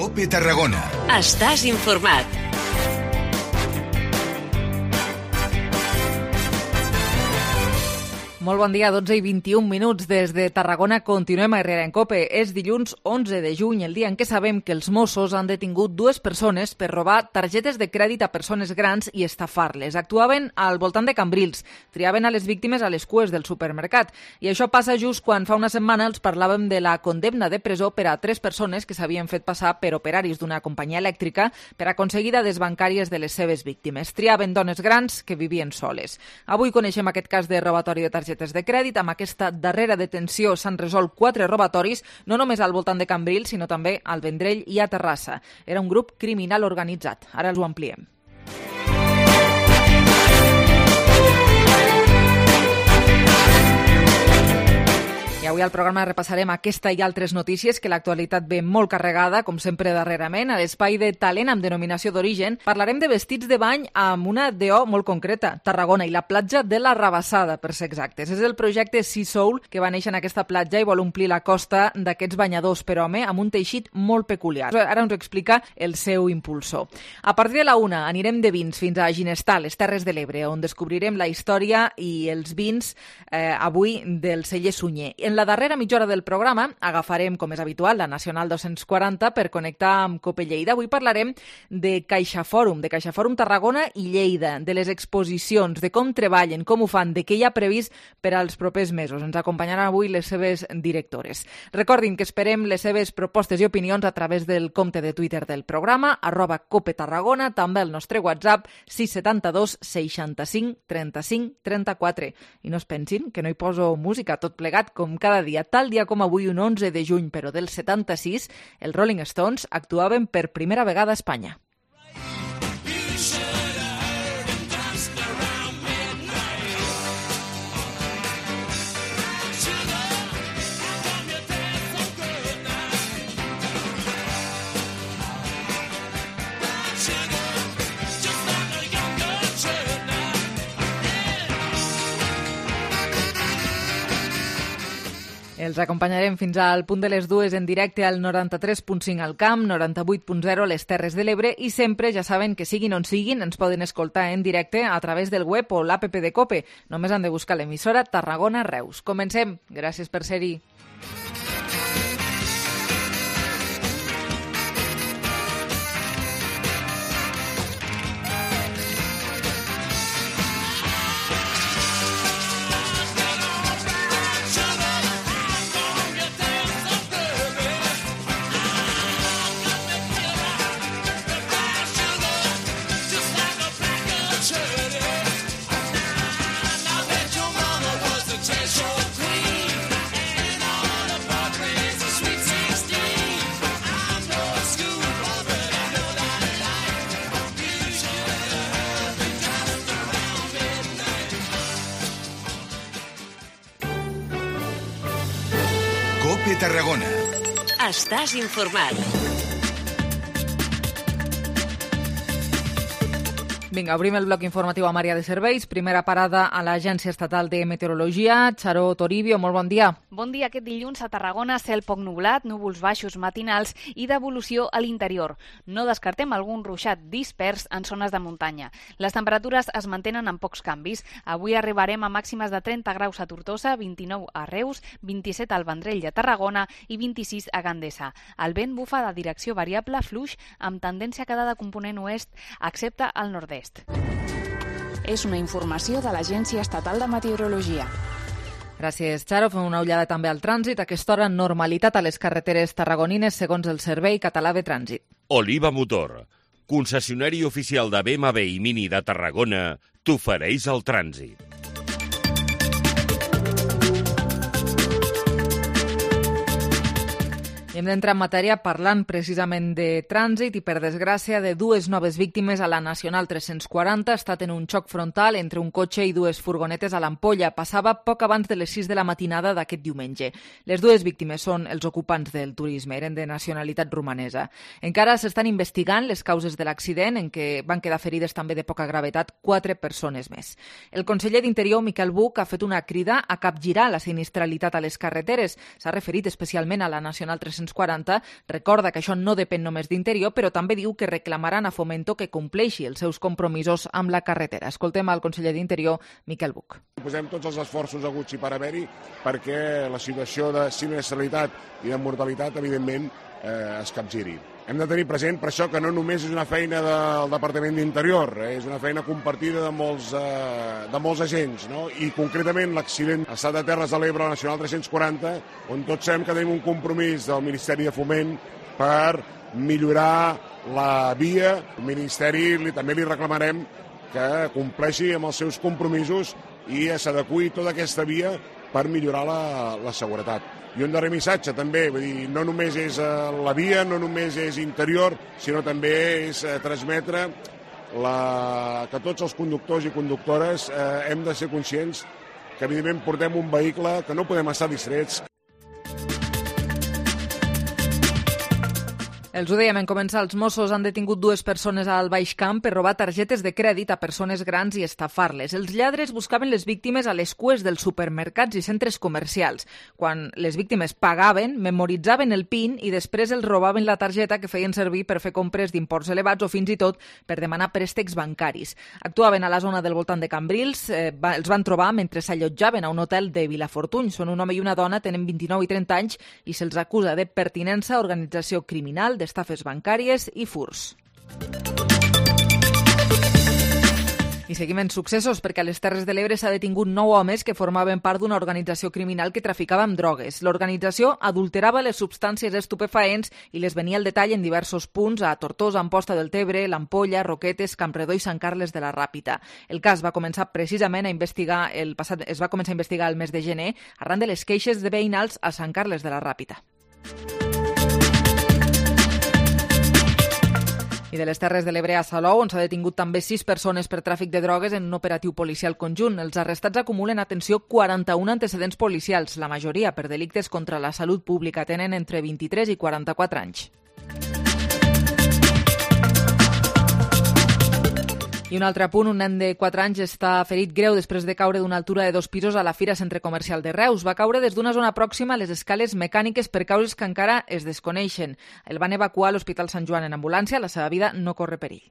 COPE Tarragona. Estàs informat. Molt bon dia, 12 i 21 minuts des de Tarragona. Continuem a Herrera en COPE. És dilluns 11 de juny, el dia en què sabem que els Mossos han detingut dues persones per robar targetes de crèdit a persones grans i estafar-les. Actuaven al voltant de Cambrils, triaven a les víctimes a les cues del supermercat. I això passa just quan fa una setmana els parlàvem de la condemna de presó per a 3 persones que s'havien fet passar per operaris d'una companyia elèctrica per aconseguir dades bancàries de les seves víctimes. Triaven dones grans que vivien soles. Avui coneixem aquest cas de robatori de targetes de crèdit. Amb aquesta darrera detenció s'han resolt 4 robatoris, no només al voltant de Cambrils, sinó també al Vendrell i a Terrassa. Era un grup criminal organitzat. Ara els ho ampliem. I avui al programa repassarem aquesta i altres notícies, que l'actualitat ve molt carregada, com sempre darrerament. A l'espai de talent amb denominació d'origen parlarem de vestits de bany amb una DO molt concreta, Tarragona, i la platja de la Rabassada, per ser exactes. És el projecte Sea Soul, que va néixer en aquesta platja i vol omplir la costa d'aquests banyadors per home amb un teixit molt peculiar. Ara ens ho explica el seu impulsor. A partir de la 1 anirem de vins fins a Ginestar, les Terres de l'Ebre, on descobrirem la història i els vins avui del celler Sunyer. En la darrera mitja hora del programa agafarem, com és habitual, la Nacional 240 per connectar amb COPE Lleida. Avui parlarem de CaixaForum Tarragona i Lleida, de les exposicions, de com treballen, com ho fan, de què hi ha previst per als propers mesos. Ens acompanyaran avui les seves directores. Recordin que esperem les seves propostes i opinions a través del compte de Twitter del programa, @COPETarragona, també el nostre WhatsApp 672 65 35 34. I no es pensin que no hi poso música, tot plegat com cada dia. Tal dia com avui, un 11 de juny, però del 76, els Rolling Stones actuaven per primera vegada a Espanya. Els acompanyarem fins al punt de les 2 en directe al 93.5 al Camp, 98.0 les Terres de l'Ebre i sempre, ja saben que siguin on siguin, ens poden escoltar en directe a través del web o l'APP de COPE. Només han de buscar l'emissora Tarragona Reus. Comencem. Gràcies per ser-hi. COPE Tarragona. Estàs informat. Vinga, obrim el bloc informatiu a Maria de Serveis. Primera parada a l'Agència Estatal de Meteorologia. Xaró Toribio, molt bon dia. Bon dia. Aquest dilluns a Tarragona, cel poc nublat, núvols baixos matinals i devolució a l'interior. No descartem algun ruixat dispers en zones de muntanya. Les temperatures es mantenen amb pocs canvis. Avui arribarem a màximes de 30 graus a Tortosa, 29 a Reus, 27 al Vendrell de Tarragona i 26 a Gandesa. El vent bufa de direcció variable fluix amb tendència a quedar de component oest, excepte al nord-est. És una informació de l'Agència Estatal de Meteorologia. Gràcies, Xaro. Fem una ullada també al trànsit. A aquesta hora, normalitat a les carreteres tarragonines segons el Servei Català de Trànsit. Oliva Motor, concessionari oficial de BMW i Mini de Tarragona, t'ofereix el trànsit. Hem d'entrar en matèria parlant precisament de trànsit i, per desgràcia, de dues noves víctimes a la Nacional 340. Ha estat en un xoc frontal entre un cotxe i dues furgonetes a l'Ampolla. Passava poc abans de les 6 de la matinada d'aquest diumenge. Les dues víctimes són els ocupants del turisme, eren de nacionalitat romanesa. Encara s'estan investigant les causes de l'accident, en què van quedar ferides també de poca gravetat 4 persones més. El conseller d'Interior, Miquel Buch, ha fet una crida a capgirar la sinistralitat a les carreteres. S'ha referit especialment a la Nacional 340 340 recorda que això no depèn només d'Interior, però també diu que reclamaran a Fomento que compleixi els seus compromisos amb la carretera. Escoltem al conseller d'Interior, Miquel Buch. Posem tots els esforços aguts i per haver-hi perquè la situació de sinistralitat i de mortalitat, evidentment, es capgiri. Hem de tenir present per això que no només és una feina del Departament d'Interior, és una feina compartida de molts agents, no? I concretament l'accident a Estat de Terres de l'Ebre, la Nacional 340, on tots sabem que tenim un compromís del Ministeri de Foment per millorar la via. El Ministeri també li reclamarem que compleixi amb els seus compromisos i s'adeqüi tota aquesta via per millorar la seguretat. I un darrer missatge també, vull dir, no només és la via, no només és Interior, sinó també és transmetre que tots els conductors i conductores hem de ser conscients que evidentment portem un vehicle que no podem estar distrets. Els ho dèiem en començar, els Mossos han detingut 2 persones al Baix Camp per robar targetes de crèdit a persones grans i estafar-les. Els lladres buscaven les víctimes a les cues dels supermercats i centres comercials. Quan les víctimes pagaven, memoritzaven el PIN i després els robaven la targeta que feien servir per fer compres d'imports elevats o fins i tot per demanar préstecs bancaris. Actuaven a la zona del voltant de Cambrils, els van trobar mentre s'allotjaven a un hotel de Vilafortuny. Són un home i una dona, tenen 29 i 30 anys i se'ls acusa de pertinença a organització criminal, d'estafes bancàries i furs. I seguim en successos perquè a les Terres de l'Ebre s'ha detingut 9 homes que formaven part d'una organització criminal que traficava amb drogues. L'organització adulterava les substàncies estupefaents i les venia al detall en diversos punts a Tortosa, Amposta del Tebre, l'Ampolla, Roquetes, Campredó i Sant Carles de la Ràpita. El cas va començar precisament a investigar el mes de gener arran de les queixes de veïnals a Sant Carles de la Ràpita. I de les Terres de l'Ebre a Salou, on s'ha detingut també 6 persones per tràfic de drogues en un operatiu policial conjunt. Els arrestats acumulen, atenció, 41 antecedents policials, la majoria per delictes contra la salut pública. Tenen entre 23 i 44 anys. I un altre punt, un nen de 4 anys està ferit greu després de caure d'una altura de 2 pisos a la Fira Centre Comercial de Reus. Va caure des d'una zona pròxima a les escales mecàniques per causes que encara es desconeixen. El van evacuar a l'Hospital Sant Joan en ambulància, la seva vida no corre perill.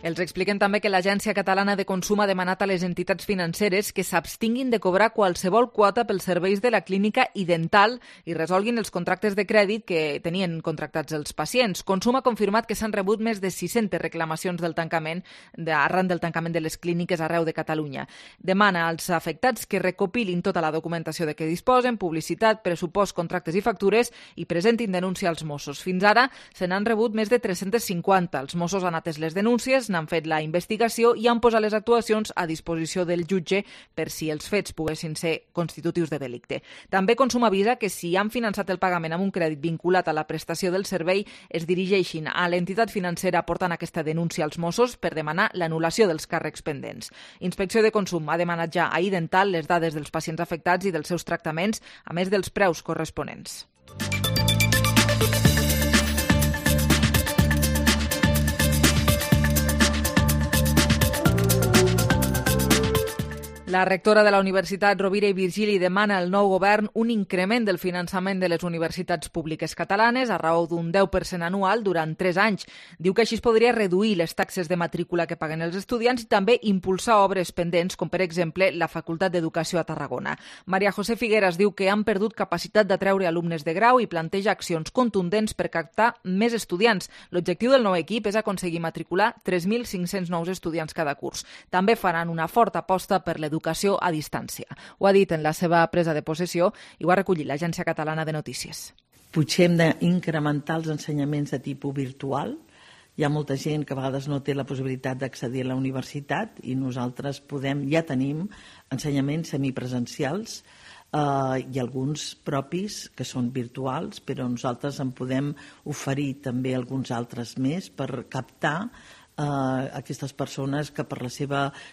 Els expliquen també que l'Agència Catalana de Consum ha demanat a les entitats financeres que s'abstinguin de cobrar qualsevol quota pels serveis de la clínica i dental i resolguin els contractes de crèdit que tenien contractats els pacients. Consum ha confirmat que s'han rebut més de 600 reclamacions arran del tancament de les clíniques arreu de Catalunya. Demana als afectats que recopilin tota la documentació de què disposen, publicitat, pressupost, contractes i factures i presentin denúncia als Mossos. Fins ara se n'han rebut més de 350. Els Mossos han atès les denúncies, n'han fet la investigació i han posat les actuacions a disposició del jutge per si els fets poguessin ser constitutius de delicte. També Consum avisa que si han finançat el pagament amb un crèdit vinculat a la prestació del servei, es dirigeixin a l'entitat financera portant aquesta denúncia als Mossos per demanar l'anul·lació dels càrrecs pendents. Inspecció de Consum ha demanat ja a iDental les dades dels pacients afectats i dels seus tractaments, a més dels preus corresponents. La rectora de la Universitat Rovira i Virgili demana al nou govern un increment del finançament de les universitats públiques catalanes a raó d'un 10% anual durant 3 anys. Diu que així es podria reduir les taxes de matrícula que paguen els estudiants i també impulsar obres pendents, com per exemple la Facultat d'Educació a Tarragona. Maria José Figueras diu que han perdut capacitat d'atreure alumnes de grau i planteja accions contundents per captar més estudiants. L'objectiu del nou equip és aconseguir matricular 3.500 nous estudiants cada curs. També faran una forta aposta per l'educació a distància. Ho ha dit en la seva presa de possessió i ho ha recollit l'Agència Catalana de Notícies. Potser hem d'incrementar els ensenyaments de tipus virtual. Hi ha molta gent que a vegades no té la possibilitat d'accedir a la universitat i nosaltres ja tenim ensenyaments semipresencials i alguns propis que són virtuals, però nosaltres en podem oferir també alguns altres més per captar aquestes persones que per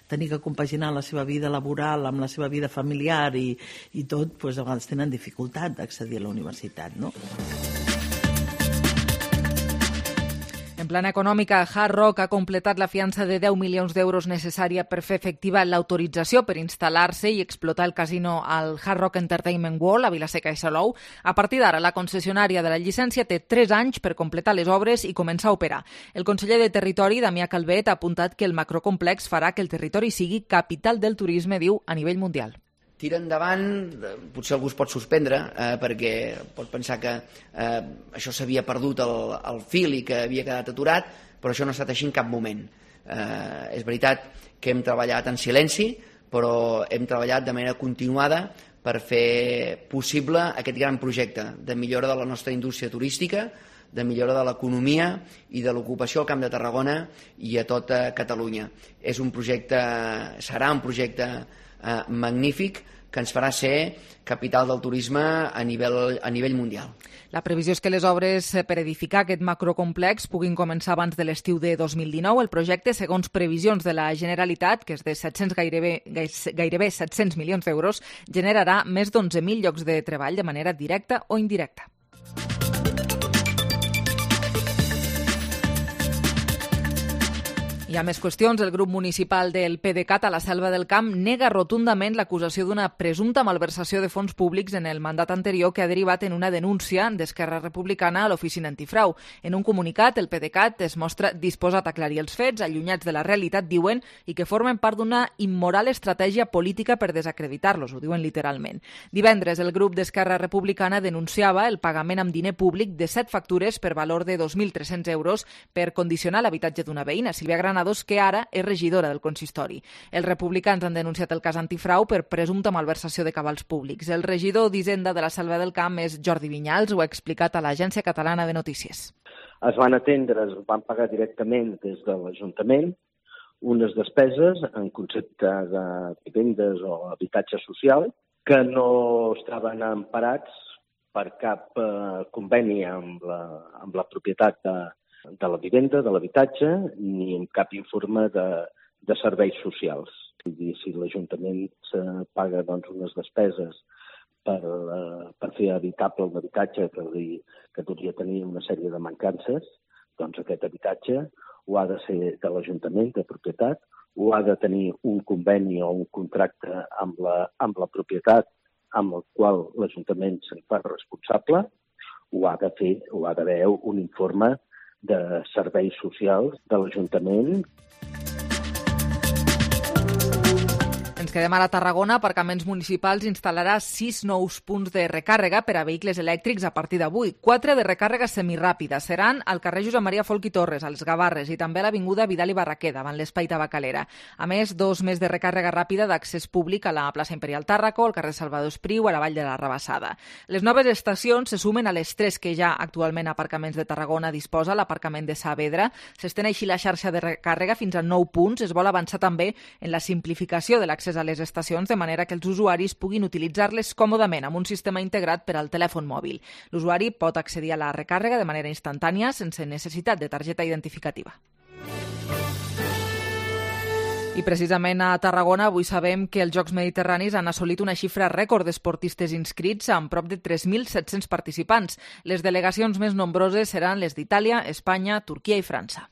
tenir que compaginar la seva vida laboral amb la seva vida familiar i tot, doncs a vegades tenen dificultat d'accedir a la universitat, no? En En plana econòmica, Hard Rock ha completat la fiança de 10 milions d'euros necessària per fer efectiva l'autorització per instal·lar-se i explotar el casino al Hard Rock Entertainment World a Vila-seca i Salou. A partir d'ara, la concessionària de la llicència té 3 anys per completar les obres i començar a operar. El conseller de Territori, Damià Calvet, ha apuntat que el macrocomplex farà que el territori sigui capital del turisme, diu, a nivell mundial. Tira endavant, potser algú es pot suspendre perquè pot pensar que això s'havia perdut el fil i que havia quedat aturat, però això no ha estat així en cap moment. És veritat que hem treballat en silenci, però hem treballat de manera continuada per fer possible aquest gran projecte de millora de la nostra indústria turística, de millora de l'economia i de l'ocupació al Camp de Tarragona i a tota Catalunya. Serà un projecte magnífic que ens farà ser capital del turisme a nivell mundial. La previsió és que les obres per edificar aquest macrocomplex puguin començar abans de l'estiu de 2019. El projecte, segons previsions de la Generalitat, que és de gairebé 700 milions d'euros, generarà més d'11.000 llocs de treball de manera directa o indirecta. Hi ha més qüestions. El grup municipal del PDeCAT a la Selva del Camp nega rotundament l'acusació d'una presumpta malversació de fons públics en el mandat anterior que ha derivat en una denúncia d'Esquerra Republicana a l'Oficina Antifrau. En un comunicat, el PDeCAT es mostra disposat a aclarir els fets, allunyats de la realitat, diuen, i que formen part d'una immoral estratègia política per desacreditar-los, ho diuen literalment. Divendres, el grup d'Esquerra Republicana denunciava el pagament amb diner públic de 7 factures per valor de 2.300 euros per condicionar l'habitatge d'una veïna, Sílvia Granados, que ara és regidora del consistori. Els republicans han denunciat el cas Antifrau per presumpta malversació de cabals públics. El regidor d'Hisenda de la Selva del Camp és Jordi Vinyals, ho ha explicat a l'Agència Catalana de Notícies. Es van van pagar directament des de l'Ajuntament unes despeses en concepte de vivendes o habitatge social que no estaven emparats per cap conveni amb la propietat de la vivenda, de l'habitatge, ni en cap informe de serveis socials. Si l'Ajuntament paga unes despeses per fer habitable un habitatge que podria tenir una sèrie de mancances, doncs aquest habitatge ho ha de ser de l'Ajuntament, de propietat, ho ha de tenir un conveni o un contracte amb la propietat amb el qual l'Ajuntament se'n fa responsable, ho ha d'haver un informe de serveis socials de l'Ajuntament. Ens quedem ara a Tarragona. Aparcaments Municipals instal·larà 6 nous punts de recàrrega per a vehicles elèctrics a partir d'avui. 4 de recàrrega semiràpida seran al carrer Josep Maria Folch i Torres, als Gavarres, i també a l'avinguda Vidal i Barraquer, davant l'Espai Tabacalera. A més, 2 més de recàrrega ràpida d'accés públic a la plaça Imperial Tàrraco, al carrer Salvador Espriu, a la Vall de la Rabassada. Les noves estacions se sumen a les 3 que ja actualment Aparcaments de Tarragona disposa, l'aparcament de Saavedra. S'estén així la xarxa de recàrrega fins a 9 punts. Es vol avançar també en la simplificació de l'accés a les estacions, de manera que els usuaris puguin utilitzar-les còmodament amb un sistema integrat per al telèfon mòbil. L'usuari pot accedir a la recàrrega de manera instantània sense necessitat de targeta identificativa. I precisament a Tarragona avui sabem que els Jocs Mediterranis han assolit una xifra rècord d'esportistes inscrits amb prop de 3.700 participants. Les delegacions més nombroses seran les d'Itàlia, Espanya, Turquia i França.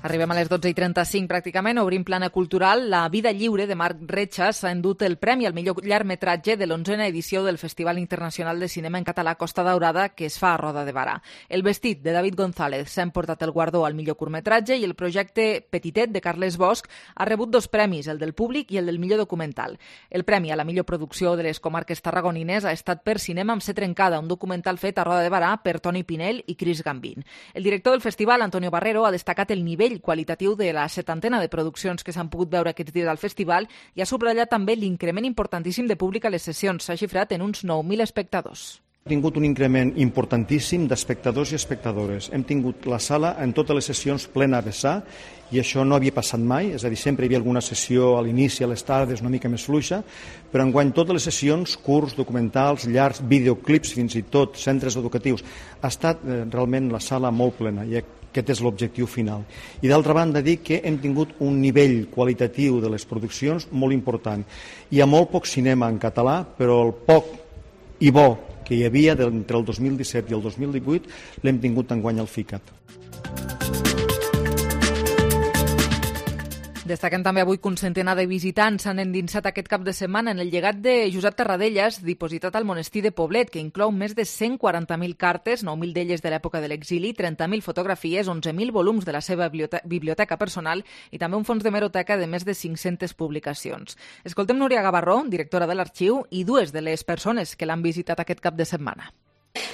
Arribem a les 12:35 pràcticament, obrim plana cultural. La vida lliure de Marc Retxas s'ha endut el premi al millor llargmetratge de l'11a edició del Festival Internacional de Cinema en Català Costa Daurada, que es fa a Roda de Barà. El vestit de David González s'ha emportat el guardó al millor curtmetratge i el projecte Petitet de Carles Bosch ha rebut 2 premis, el del públic i el del millor documental. El premi a la millor producció de les comarques tarragonines ha estat per Cinema amb C trencada, un documental fet a Roda de Barà per Toni Pinell i Cris Gambín. El director del festival, Antonio Barrero, ha destacat el nivell qualitatiu de la 70ena de produccions que s'han pogut veure aquests dies al festival i ha subratllat també l'increment importantíssim de públic a les sessions. S'ha xifrat en uns 9.000 espectadors. Hem tingut un increment importantíssim d'espectadors i espectadores. Hem tingut la sala en totes les sessions plena a vessar i això no havia passat mai, és a dir, sempre hi havia alguna sessió a l'inici, a les tardes, una mica més fluixa, però enguany totes les sessions, curts, documentals, llargs, videoclips, fins i tot centres educatius, ha estat realment la sala molt plena i Aquest és l'objectiu final. I d'altra banda, dir que hem tingut un nivell qualitatiu de les produccions molt important. Hi ha molt poc cinema en català, però el poc i bo que hi havia entre el 2017 i el 2018 l'hem tingut enguany al FICAT. Destaquem també avui que un centenar de visitants s'han endinsat aquest cap de setmana en el llegat de Josep Tarradellas, dipositat al monestir de Poblet, que inclou més de 140.000 cartes, 9.000 d'elles de l'època de l'exili, 30.000 fotografies, 11.000 volums de la seva biblioteca personal i també un fons d'hemeroteca de més de 500 publicacions. Escoltem Núria Gavarró, directora de l'arxiu, i dues de les persones que l'han visitat aquest cap de setmana.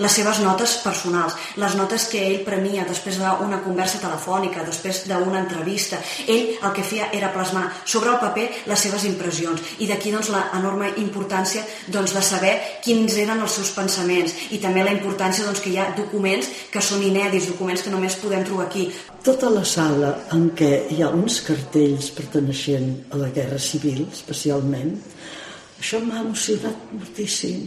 Les seves notes personals, les notes que ell prenia després d'una conversa telefònica, després d'una entrevista. Ell el que feia era plasmar sobre el paper les seves impressions i d'aquí l'enorme importància de saber quins eren els seus pensaments i també la importància que hi ha documents que són inèdits, documents que només podem trobar aquí. Tota la sala en què hi ha uns cartells perteneixent a la Guerra Civil, especialment, això m'ha emocionat moltíssim,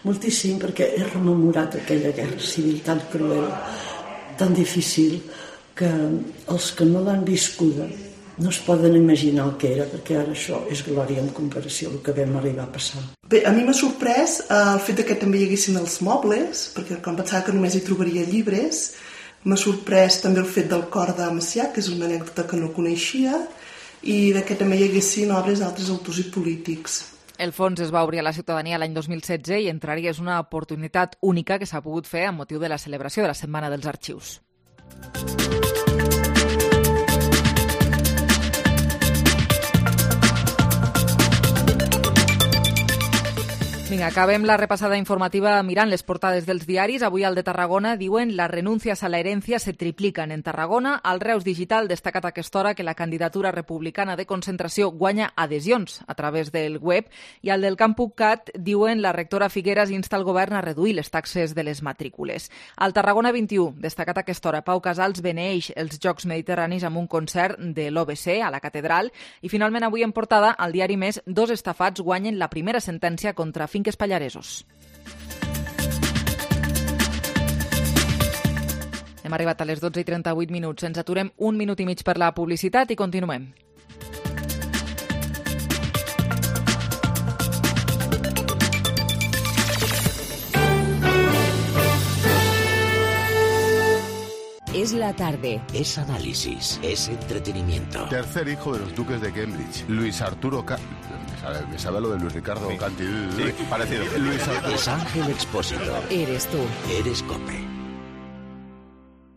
moltíssim, perquè he rememorat aquella guerra civil tan cruel, tan difícil, que els que no l'han viscuda no es poden imaginar el que era, perquè ara això és glòria en comparació al que vam arribar a passar. Bé, a mi m'ha sorprès el fet que també hi haguessin els mobles, perquè quan pensava que només hi trobaria llibres, m'ha sorprès també el fet del cor de Macià, que és una anècdota que no coneixia, i que també hi haguessin obres d'altres autors i polítics. El fons es va obrir a la ciutadania l'any 2016 i entrar-hi és una oportunitat única que s'ha pogut fer amb motiu de la celebració de la Setmana dels Arxius. Vinga, acabem la repassada informativa mirant les portades dels diaris. Avui al de Tarragona diuen las renuncias a la herencia se triplican en Tarragona. Al Reus Digital destacat a aquesta hora que la candidatura republicana de concentració guanya adhesions a través del web. I al del Camp.cat diuen la rectora Figueras insta el govern a reduir les taxes de les matrícules. Al Tarragona 21 destacat a aquesta hora Pau Casals beneeix els Jocs Mediterranis amb un concert de l'OBC a la catedral. I finalment avui en portada al diari Més, dos estafats guanyen la primera sentència contra finques pallaresos. Hem arribat a les 12:38. Ens aturem un minut i mig per la publicitat i continuem. Es la tarde. Es análisis, es entretenimiento. Tercer hijo de los duques de Cambridge, Luis Arturo me sabe lo de Luis Ricardo Canti. Sí, parecido. Luis Arturo. Es Ángel Expósito. Eres tú. Eres COPE.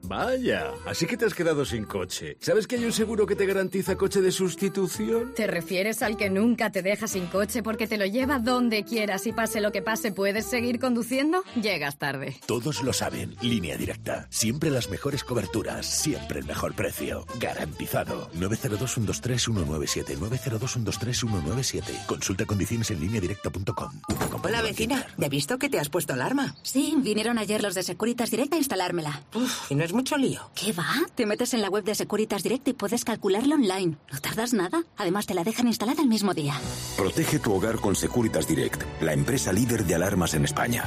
Vaya, así que te has quedado sin coche. ¿Sabes que hay un seguro que te garantiza coche de sustitución? ¿Te refieres al que nunca te deja sin coche porque te lo lleva donde quieras y pase lo que pase puedes seguir conduciendo? Llegas tarde. Todos lo saben. Línea Directa. Siempre las mejores coberturas. Siempre el mejor precio. Garantizado. 902-123-197. 902-123-197. Consulta condiciones en lineadirecta.com. Hola, vecina. ¿Ya he visto que te has puesto alarma? Sí, vinieron ayer los de Securitas Direct a instalármela. ¿Y no es mucho lío? ¿Qué va? Te metes en la web de Securitas Direct y puedes calcularlo online. No tardas nada. Además, te la dejan instalada el mismo día. Protege tu hogar con Securitas Direct, la empresa líder de alarmas en España.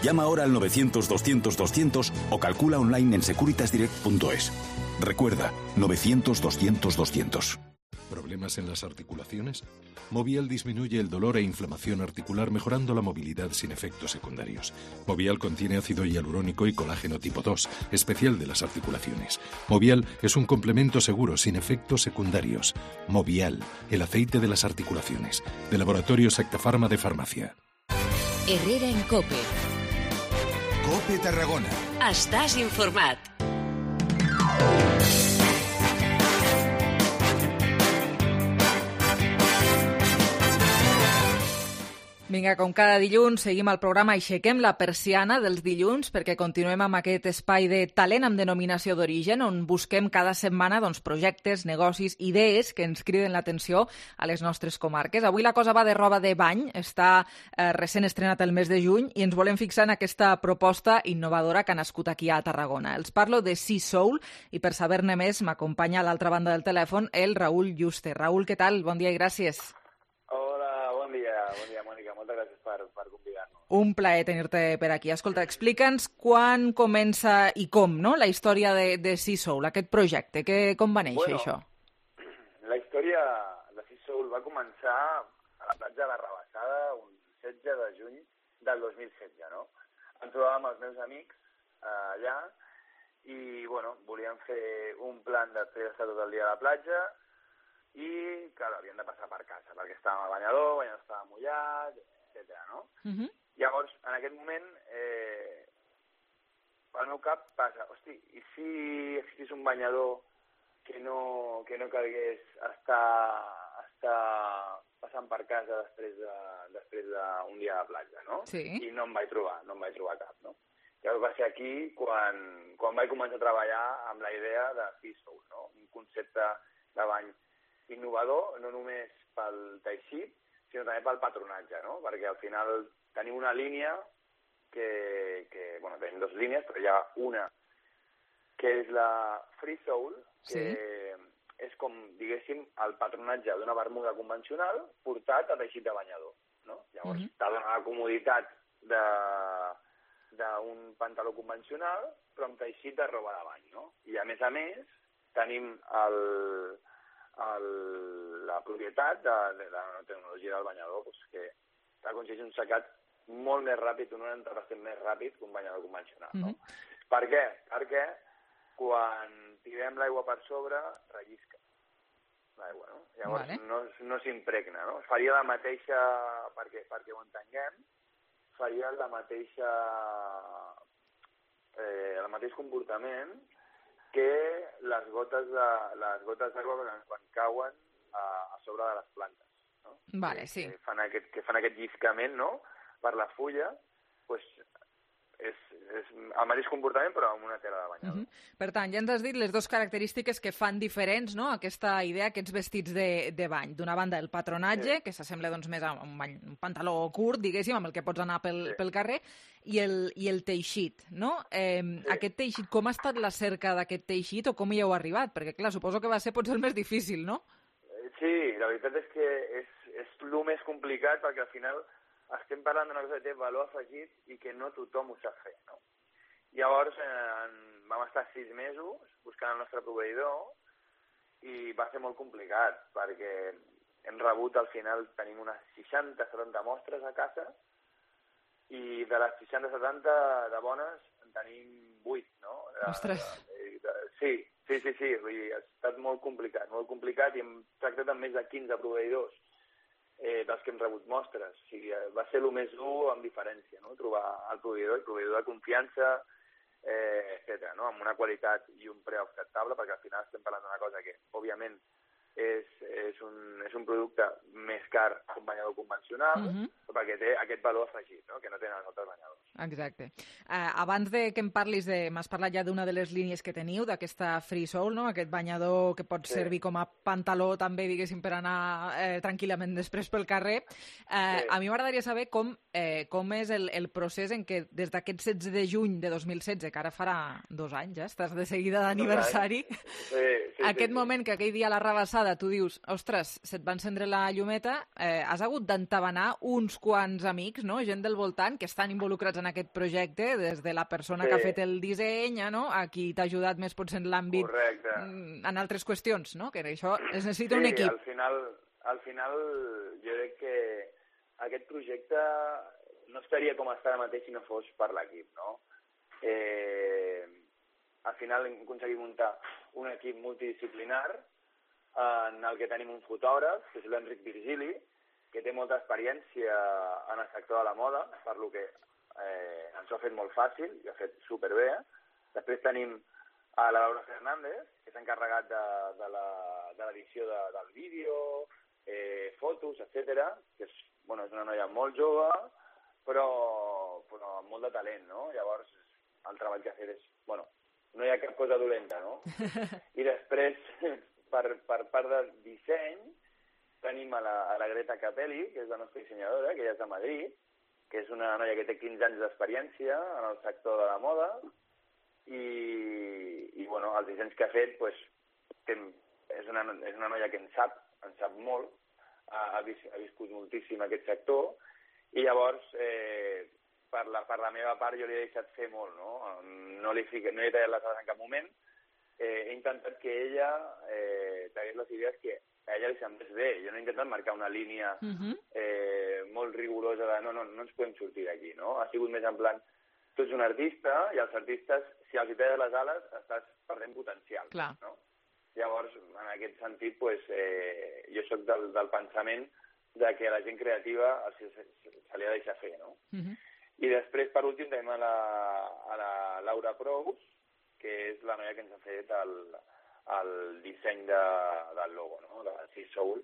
Llama ahora al 900-200-200 o calcula online en securitasdirect.es. Recuerda, 900-200-200. ¿Problemas en las articulaciones? Movial disminuye el dolor e inflamación articular mejorando la movilidad sin efectos secundarios. Movial contiene ácido hialurónico y colágeno tipo 2, especial de las articulaciones. Movial es un complemento seguro sin efectos secundarios. Movial, el aceite de las articulaciones. De Laboratorio Sectafarma de Farmacia. Herrera en COPE. COPE Tarragona. Estàs informat. Vinga, com cada dilluns, seguim el programa Aixequem la persiana dels dilluns perquè continuem amb aquest espai de talent amb denominació d'origen on busquem cada setmana projectes, negocis, idees que ens criden l'atenció a les nostres comarques. Avui la cosa va de roba de bany, està recent estrenat el mes de juny i ens volem fixar en aquesta proposta innovadora que ha nascut aquí a Tarragona. Els parlo de Sea Soul i per saber-ne més m'acompanya a l'altra banda del telèfon el Raül Juste. Raül, què tal? Bon dia i gràcies. Hola, bon dia, Mònica. Moltes gràcies per convidar-nos. Un plaer tenir-te per aquí. Escolta, explica'ns quan comença i com, no?, la història de Sea Soul, aquest projecte. Com va néixer, això? La història de Sea Soul va començar a la platja de la Rabassada un 16 de juny del 2016, no? Em trobàvem els meus amics allà i, volíem fer un plan després d'estar tot el dia a la platja i, clar, havíem de passar per casa, perquè estàvem al banyador estava mullat, etc. no? Llavors, en aquest moment, al meu cap passa, hosti, i si existís un banyador que no calgués estar passant per casa després d'un dia de platja, no? Sí. I no em vaig trobar cap, no? Llavors va ser aquí quan vaig començar a treballar amb la idea de Sea Soul, no? Un concepte de bany innovador, no només pel teixit, sinó també pel patronatge, no? Perquè al final tenim una línia tenim dues línies, però hi ha una que és la Free Soul, que és com, diguéssim, el patronatge d'una bermuda convencional portat a teixit de banyador, no? Llavors, t'ha donat la comoditat d'un pantaló convencional, però amb teixit de roba de bany, no? I a més, tenim la propietat de la tecnologia del banyador, que aconsegueix un secat molt més ràpid, un 90% més ràpid que un banyador convencional, no? Per què? Perquè quan tirem l'aigua per sobre, rellisca l'aigua, no? Llavors no s'impregna, no? Faria la mateixa, perquè ho entenguem, faria el mateix comportament que les gotes d'aigua quan cauen a sobre de les plantes, no? Vale, sí. Que fan aquest lliscament, no?, per la fulla, doncs és el mateix comportament però amb una tela de banyador. Per tant, ja ens has dit les dues característiques que fan diferents, no?, aquesta idea, aquests vestits de bany. D'una banda, el patronatge, que s'assembla doncs, més a un pantaló curt, diguéssim, amb el que pots anar pel carrer, i el teixit, no? Aquest teixit, com ha estat la cerca d'aquest teixit o com hi heu arribat? Perquè, clar, suposo que va ser potser el més difícil, no? Sí, la veritat és que és el més complicat perquè al final estem parlant d'una cosa que té valor afegit i que no tothom ho sap fer, no? Llavors vam estar 6 mesos buscant el nostre proveïdor i va ser molt complicat perquè hem rebut, al final tenim unes 60-70 mostres a casa i de les 60-70 de bones en tenim 8, no? Ostres! Sí, vull dir, ha estat molt complicat i hem tractat amb més de 15 proveïdors dels que hem rebut mostres. O sigui, va ser el més dur amb diferència, no?, trobar el proveïdor de confiança, etc., no?, amb una qualitat i un preu acceptable, perquè al final estem parlant d'una cosa que, òbviament, és un producte més car que un banyador convencional, perquè té aquest valor afegit, no?, que no tenen els altres banyadors. Exacte. Abans de que em parlis m'has parlat ja d'una de les línies que teniu, d'aquesta Free Soul, no?, aquest banyador que pot servir com a pantaló també, diguéssim, per anar tranquil·lament després pel carrer. A mi m'agradaria saber com és el procés en què des d'aquest 16 de juny de 2016, que ara farà 2 anys, estàs de seguida d'aniversari, aquest moment que aquell dia a la Rabassada tu dius, ostres, se't va encendre la llumeta, has hagut d'entabanar uns quants amics, no?, gent del voltant que estan involucrats en aquest projecte, des de la persona que ha fet el disseny, no?, a qui t'ha ajudat més potser en l'àmbit, en altres qüestions, no?, que això es necessita un equip. Al final jo crec que aquest projecte no estaria com està ara mateix si no fos per l'equip, no? Al final hem aconseguit muntar un equip multidisciplinar en el que tenim un fotògraf, que és l'Enric Virgili, que té molta experiència en el sector de la moda, per lo que ens ho ha fet molt fàcil i ho ha fet superbé. Després tenim a la Laura Fernández, que s'ha encarregat de l'edició del vídeo, fotos, etc., que és una noia molt jove, però amb molt de talent, no? Llavors, el treball que ha fet és, no hi ha cap cosa dolenta, no? I després, per part del disseny, tenim a la Greta Capelli, que és la nostra dissenyadora, que ella és de Madrid, que és una noia que té 15 anys d'experiència en el sector de la moda, i els dissenys que ha fet, és una noia que en sap molt, ha viscut moltíssim aquest sector, I llavors, per la meva part, jo li he deixat fer molt, no? No li he tallat les ales en cap moment. He intentat que ella tragués les idees que a ella li semblés bé. Jo no he intentat marcar una línia molt rigorosa de no ens podem sortir d'aquí, no? Ha sigut més en plan, tu ets un artista i els artistes, si els hi talles les ales, estàs perdent potencial, no? Llavors, en aquest sentit, jo soc del pensament de que la gent creativa se li ha de deixar fer, no? I després, per últim, tenim a la Laura Prous, que és la noia que ens ha fet el disseny del logo, no? De Sea Soul.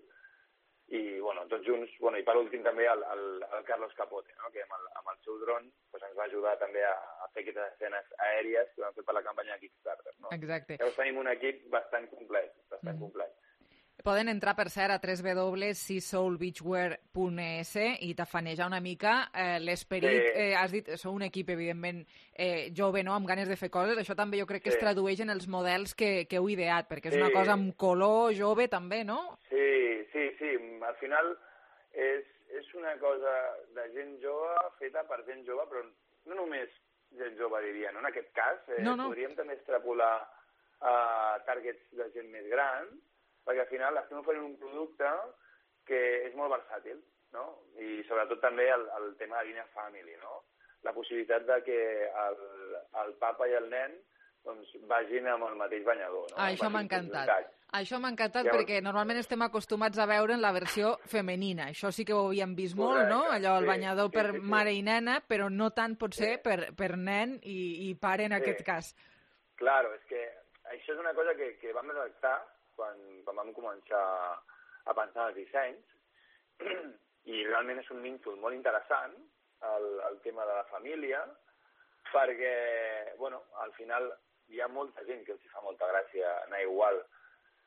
I, tots junts, i per últim també el Carlos Capote, no? Que amb el seu dron ens va ajudar també a fer aquestes escenes aèries que vam fer per la campanya de Kickstarter, no? Exacte. Llavors tenim un equip bastant complet, complet. Poden entrar, per cert, a www.seasoulbeachwear.es i tafanejar una mica l'esperit. Has dit, sou un equip, evidentment, jove, no?, amb ganes de fer coses. Això també jo crec que es tradueix en els models que heu ideat, perquè és una cosa amb color jove, també, no? Sí. Al final és una cosa de gent jove feta per gent jove, però no només gent jove, diria, no? En aquest cas, podríem també extrapolar a targets de gent més gran, perquè al final estem oferint un producte que és molt versàtil, no? I sobretot també el tema de línia family, no? La possibilitat de que el papa i el nen vagin amb el mateix banyador, no? Això m'ha encantat. Això m'ha encantat perquè normalment estem acostumats a veure en la versió femenina. Això sí que ho havíem vist molt, no? Allò, el banyador per mare i nena, però no tant potser per nen i pare en aquest cas. Claro, és que això és una cosa que vam detectar quan vam començar a pensar en els dissenys, i realment és un nínxol molt interessant, el tema de la família, perquè, al final hi ha molta gent que els fa molta gràcia anar igual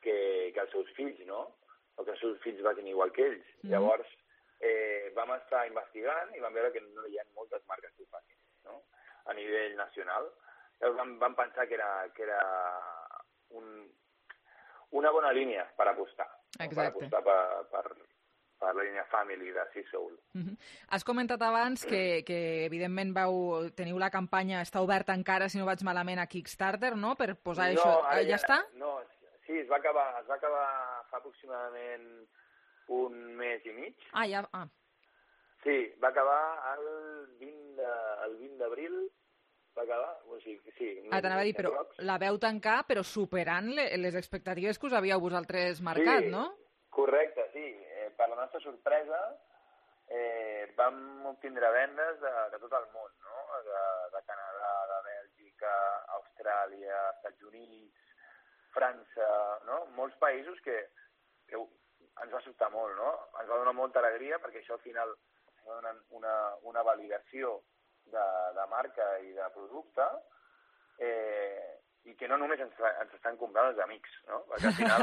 que els seus fills, no? O que els seus fills vagin igual que ells. Llavors, vam estar investigant i vam veure que no hi ha moltes marques que ho facin, no? A nivell nacional. Llavors vam pensar que era una bona línia per apostar. Exacte. Per apostar per la línia family de Sea Soul. Has comentat abans que evidentment teniu la campanya, està oberta encara, si no vaig malament, a Kickstarter, no? Per posar això... Ja està? No, sí, es va acabar fa aproximadament un mes i mig. Sí, va acabar el 20 d'abril, va acabar, sí. T'anava a dir, però la veu tancar, però superant les expectatives que us havíeu vosaltres marcat, no? Correcte, sí. Per la nostra sorpresa, vam obtindre vendes de tot el món, no? De Canadà, de Bèlgica, Austràlia, Estats Units, França, no? Molts països que ens va sobtar molt, no? Ens va donar molta alegria perquè això al final va donar una validació de marca i de producte, i que no només ens estan comprant els amics, no? Perquè al final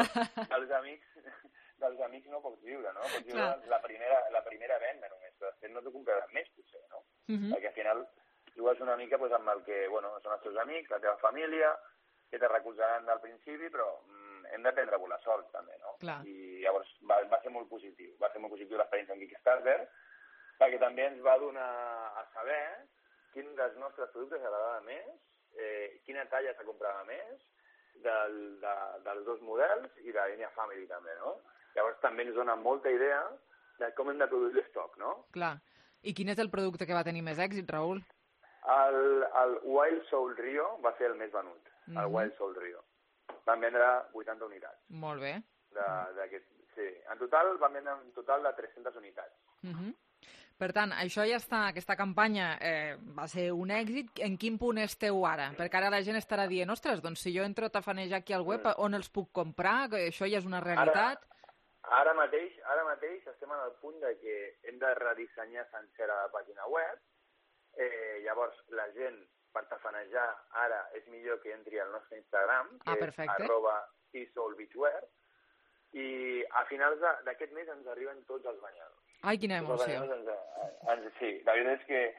dels amics no pots viure, no? Pots viure la primera venda només, però després no t'ho compraran més, potser, no? Perquè al final jugues una mica amb el que, són els teus amics, la teva família, que te recolzaran del principi, però hem de prendre la sort, també, no? I llavors va ser molt positiu. Va ser molt positiu l'experiència amb Kickstarter, perquè també ens va donar a saber quin dels nostres productes agradava més, quina talla se comprava més, dels dos models i de la línia family també, no? Llavors també ens dona molta idea de com hem de produir l'estoc, no? Clar. I quin és el producte que va tenir més èxit, Raül? El Wild Soul Rio va ser el més venut, el Wild Soul Rio. Van vendre 80 unitats. Molt bé. Sí, en total van vendre un total de 300 unitats. Per tant, això ja està, aquesta campanya va ser un èxit. En quin punt esteu ara? Perquè ara la gent estarà dient, ostres, doncs si jo entro a tafanejar aquí al web, on els puc comprar? Això ja és una realitat? Ara mateix estem en el punt de que hem de redissenyar sencera la pàgina web. Llavors, la gent, per tafanejar, ara és millor que entri al nostre Instagram, que és @SeaSoulBeachwear, i a finals d'aquest mes ens arriben tots els banyadors. Ai, quina emoció. Sí, la veritat és que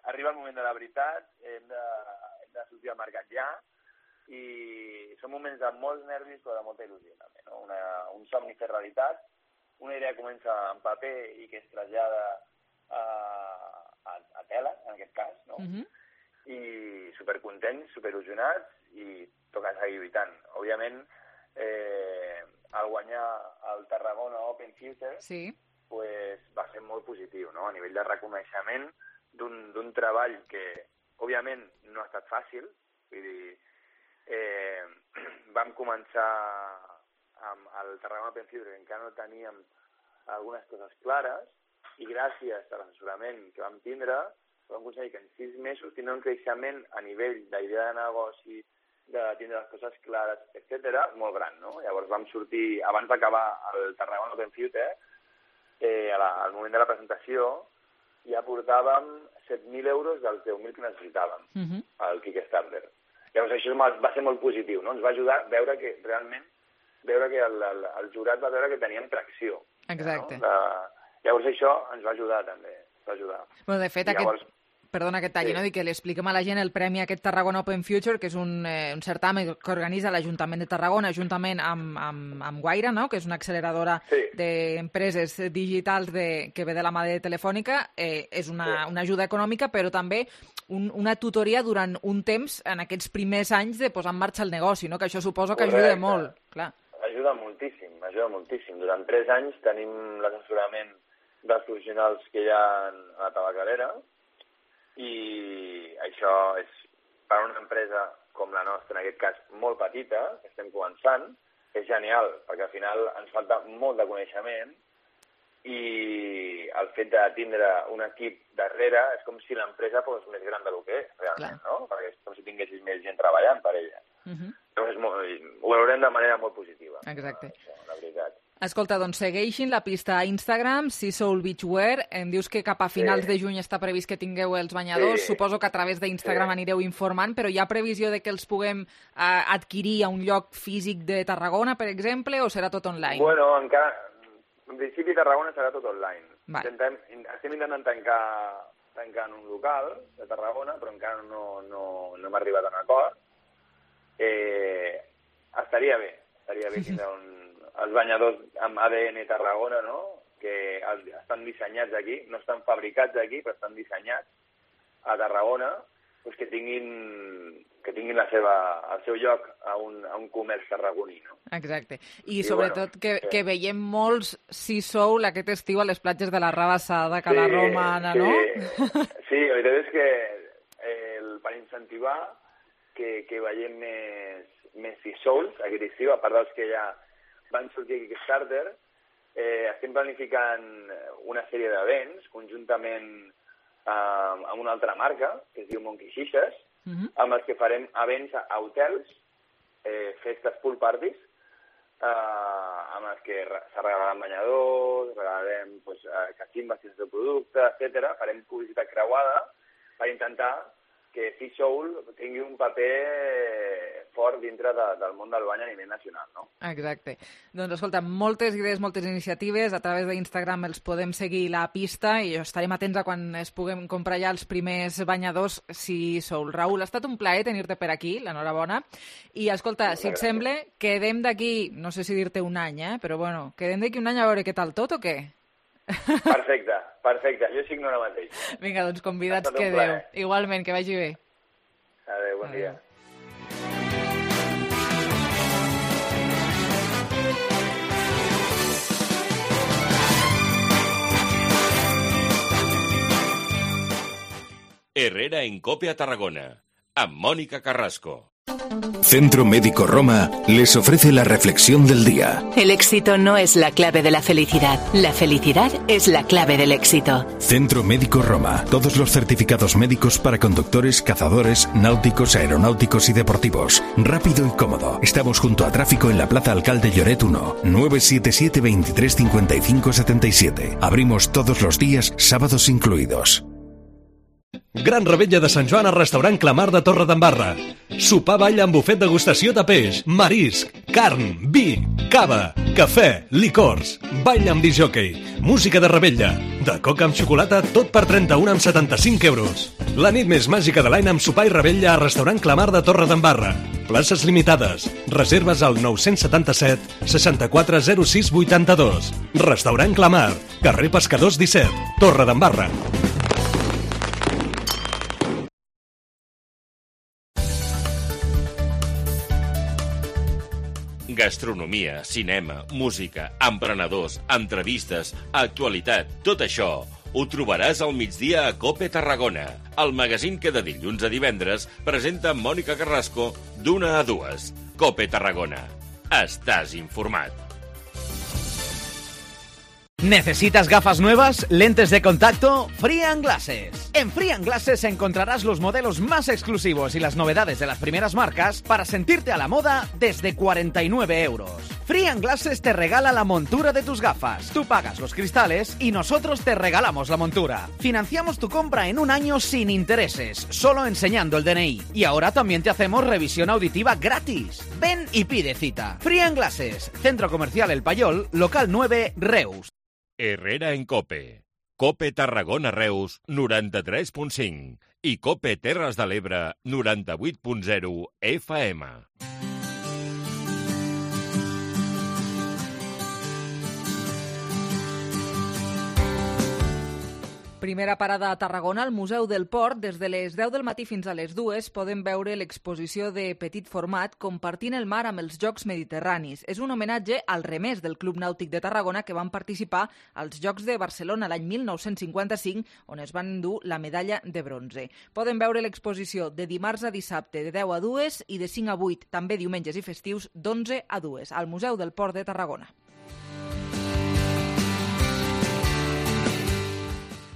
arriba el moment de la veritat, hem de sortir al mercat ja, i són moments de molts nervis però de molta il·lusió també, no? Un somni fer realitat, una idea comença en paper i que es trasllada a tela, en aquest cas, no? I supercontents, superil·lusionats i toca seguir lluitant. Òbviament, al guanyar el Tarragona Open Future, pues, va ser molt positiu, no? A nivell de reconeixement d'un treball que, òbviament, no ha estat fàcil. Vull dir, vam començar amb el Tarragona Open Future, que encara no teníem algunes coses clares, i gràcies a l'assessorament que vam tindre, vam aconseguir que en 6 mesos tindre un creixement a nivell d'idea de negoci, de tindre les coses clares, etc., molt gran, no? Llavors vam sortir, abans d'acabar el Tarragona Open Future, al moment de la presentació, ja portàvem 7.000 euros dels 10.000 que necessitàvem al Kickstarter. Llavors això va ser molt positiu, no? Ens va ajudar a veure que realment, el jurat va veure que teníem tracció. Exacte. No? Llavors això ens va ajudar també, Bueno, de fet, perdona que et talli, no? Dic que li expliquem a la gent el premi aquest Tarragona Open Future, que és un certamen que organitza l'Ajuntament de Tarragona juntament amb Guaira, no? Que és una acceleradora d'empreses digitals que ve de la mà de Telefònica. És una ajuda econòmica, però també una tutoria durant un temps en aquests primers anys de posar en marxa el negoci, no? Que això suposo que ajuda molt. Clar. Ajuda moltíssim. Durant 3 anys tenim l'assessorament dels professionals que hi ha a la tabacalera, i això és, per a una empresa com la nostra, en aquest cas molt petita, que estem començant, és genial, perquè al final ens falta molt de coneixement i el fet de tindre un equip darrere és com si l'empresa fos més gran del que és, realment, no? Perquè és com si tinguessis més gent treballant per ella. Llavors ho veurem de manera molt positiva. Exacte. La veritat. Escolta, doncs segueixin la pista a Instagram, Seasoul Beachwear. Em dius que cap a finals de juny està previst que tingueu els banyadors. Suposo que a través d'Instagram anireu informant, però hi ha previsió de que els puguem adquirir a un lloc físic de Tarragona, per exemple, o serà tot online? Bueno, encara... En principi, Tarragona serà tot online. Estem intentant tancar en un local de Tarragona, però encara no hem arribat a un acord. Estaria bé tindre els banyadors amb ADN Tarragona, no? Que estan dissenyats aquí, no estan fabricats aquí, però estan dissenyats a Tarragona, doncs que tinguin el seu lloc a un comerç tarragoní, no? Exacte. I sobretot que veiem molts Seasoul aquest estiu a les platges de la Rabassada, Cala Romana, no? Sí, la veritat és que per incentivar que veiem més Seasouls aquest estiu, a part dels que ja van sortir a Kickstarter, estem planificant una sèrie d'events conjuntament amb una altra marca, que es diu Monkey Xixes, amb els que farem events a hotels, festes pool parties, amb els que se regalaran banyadors, regalarem cachimbas i de producte, etc. Farem publicitat creuada per intentar que Seasoul tingui un paper fort dintre del món del bany a nivell nacional, no? Exacte. Doncs escolta, moltes idees, moltes iniciatives, a través d'Instagram els podem seguir la pista i estarem atents a quan es puguem comprar ja els primers banyadors Seasoul. Raül, ha estat un plaer tenir-te per aquí, l'enhorabona. I escolta, si et sembla, quedem d'aquí, no sé si dir-te un any, però bueno, quedem d'aquí un any a veure què tal tot o què? Perfecte. Jo signo ara mateix. Vinga, doncs convidats quedeu. Igualment, que vagi bé. Adéu, bon dia. Herrera en COPE a Tarragona, amb Mónica Carrasco. Centro Médico Roma les ofrece la reflexión del día. El éxito no es la clave de la felicidad es la clave del éxito. Centro Médico Roma. Todos los certificados médicos para conductores, cazadores, náuticos, aeronáuticos y deportivos. Rápido y cómodo. Estamos junto a tráfico en la Plaza Alcalde Lloret 1, 977 23 55 77. Abrimos todos los días, sábados incluidos. Gran revetlla de Sant Joan al restaurant Clamar de Torredembarra. Sopar ball amb bufet degustació de peix, marisc, carn, vi, cava, cafè, licors, ball amb discjòquei, música de revetlla, De coca amb xocolata, tot per 31,75 euros. La nit més màgica de l'any amb sopar i rebella a Restaurant Clamar de Torredembarra. Places limitades. Reserves al 977 64 06 82. Restaurant Clamar, carrer Pescadors 17, Torredembarra. Gastronomia, cinema, música, emprenedors, entrevistes, actualitat, tot això ho trobaràs al migdia a COPE Tarragona, el magazín que de dilluns a divendres presenta Mònica Carrasco d'1 a 2. COPE Tarragona. Estàs informat. ¿Necesitas gafas nuevas? ¿Lentes de contacto? Free & Glasses. En Free & Glasses encontrarás los modelos más exclusivos y las novedades de las primeras marcas para sentirte a la moda desde 49 euros. Free & Glasses te regala la montura de tus gafas. Tú pagas los cristales y nosotros te regalamos la montura. Financiamos tu compra en un año sin intereses, solo enseñando el DNI. Y ahora también te hacemos revisión auditiva gratis. Ven y pide cita. Free & Glasses, Centro Comercial El Payol, local 9, Reus. Herrera en COPE. COPE Tarragona Reus 93.5 i COPE Terres de l'Ebre 98.0 FM. Primera parada a Tarragona, al Museu del Port. Des de les 10 del matí fins a les 2 podem veure l'exposició de petit format Compartint el mar amb els Jocs Mediterranis. És un homenatge al remés del Club Nàutic de Tarragona que van participar als Jocs de Barcelona l'any 1955, on es van endur la medalla de bronze. Poden veure l'exposició de dimarts a dissabte de 10 a 2 i de 5 a 8, també diumenges i festius, d'11 a 2, al Museu del Port de Tarragona.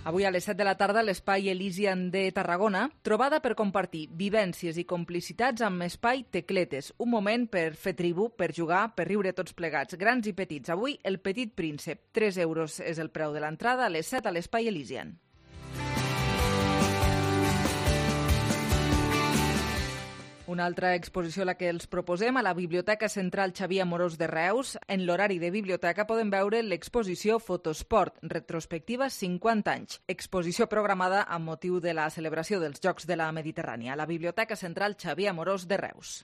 Avui a les 7 de la tarda, l'Espai Elysian de Tarragona, trobada per compartir vivències i complicitats amb Espai Tecletes. Un moment per fer tribu, per jugar, per riure tots plegats, grans i petits. Avui, el Petit Príncep. 3 euros és el preu de l'entrada a les 7 a l'Espai Elysian. Una altra exposició a la que els proposem a la Biblioteca Central Xavier Amorós de Reus. En l'horari de biblioteca poden veure l'exposició Fotosport, retrospectiva 50 anys. Exposició programada amb motiu de la celebració dels Jocs de la Mediterrània a la Biblioteca Central Xavier Amorós de Reus.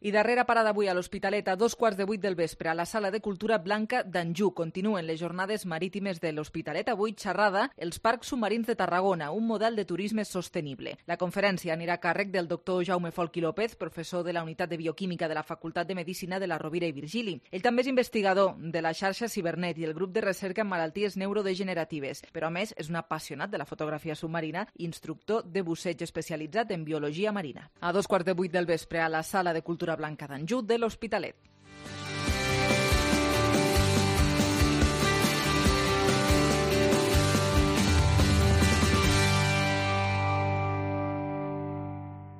I darrera parada avui a l'Hospitalet a 7:45 del vespre a la Sala de Cultura Blanca d'Anjou. Continuen les jornades marítimes de l'Hospitalet. Avui xerrada els parcs submarins de Tarragona, un model de turisme sostenible. La conferència anirà a càrrec del doctor Jaume Folch i López, professor de la Unitat de Bioquímica de la Facultat de Medicina de la Rovira i Virgili. Ell també és investigador de la xarxa Cibernet i el grup de recerca en malalties neurodegeneratives, però a més és un apassionat de la fotografia submarina i instructor de busseig especialitzat en biologia marina. A 7:45 del vespre a la Sala de Cultura Blanca d'Anjou de l'Hospitalet.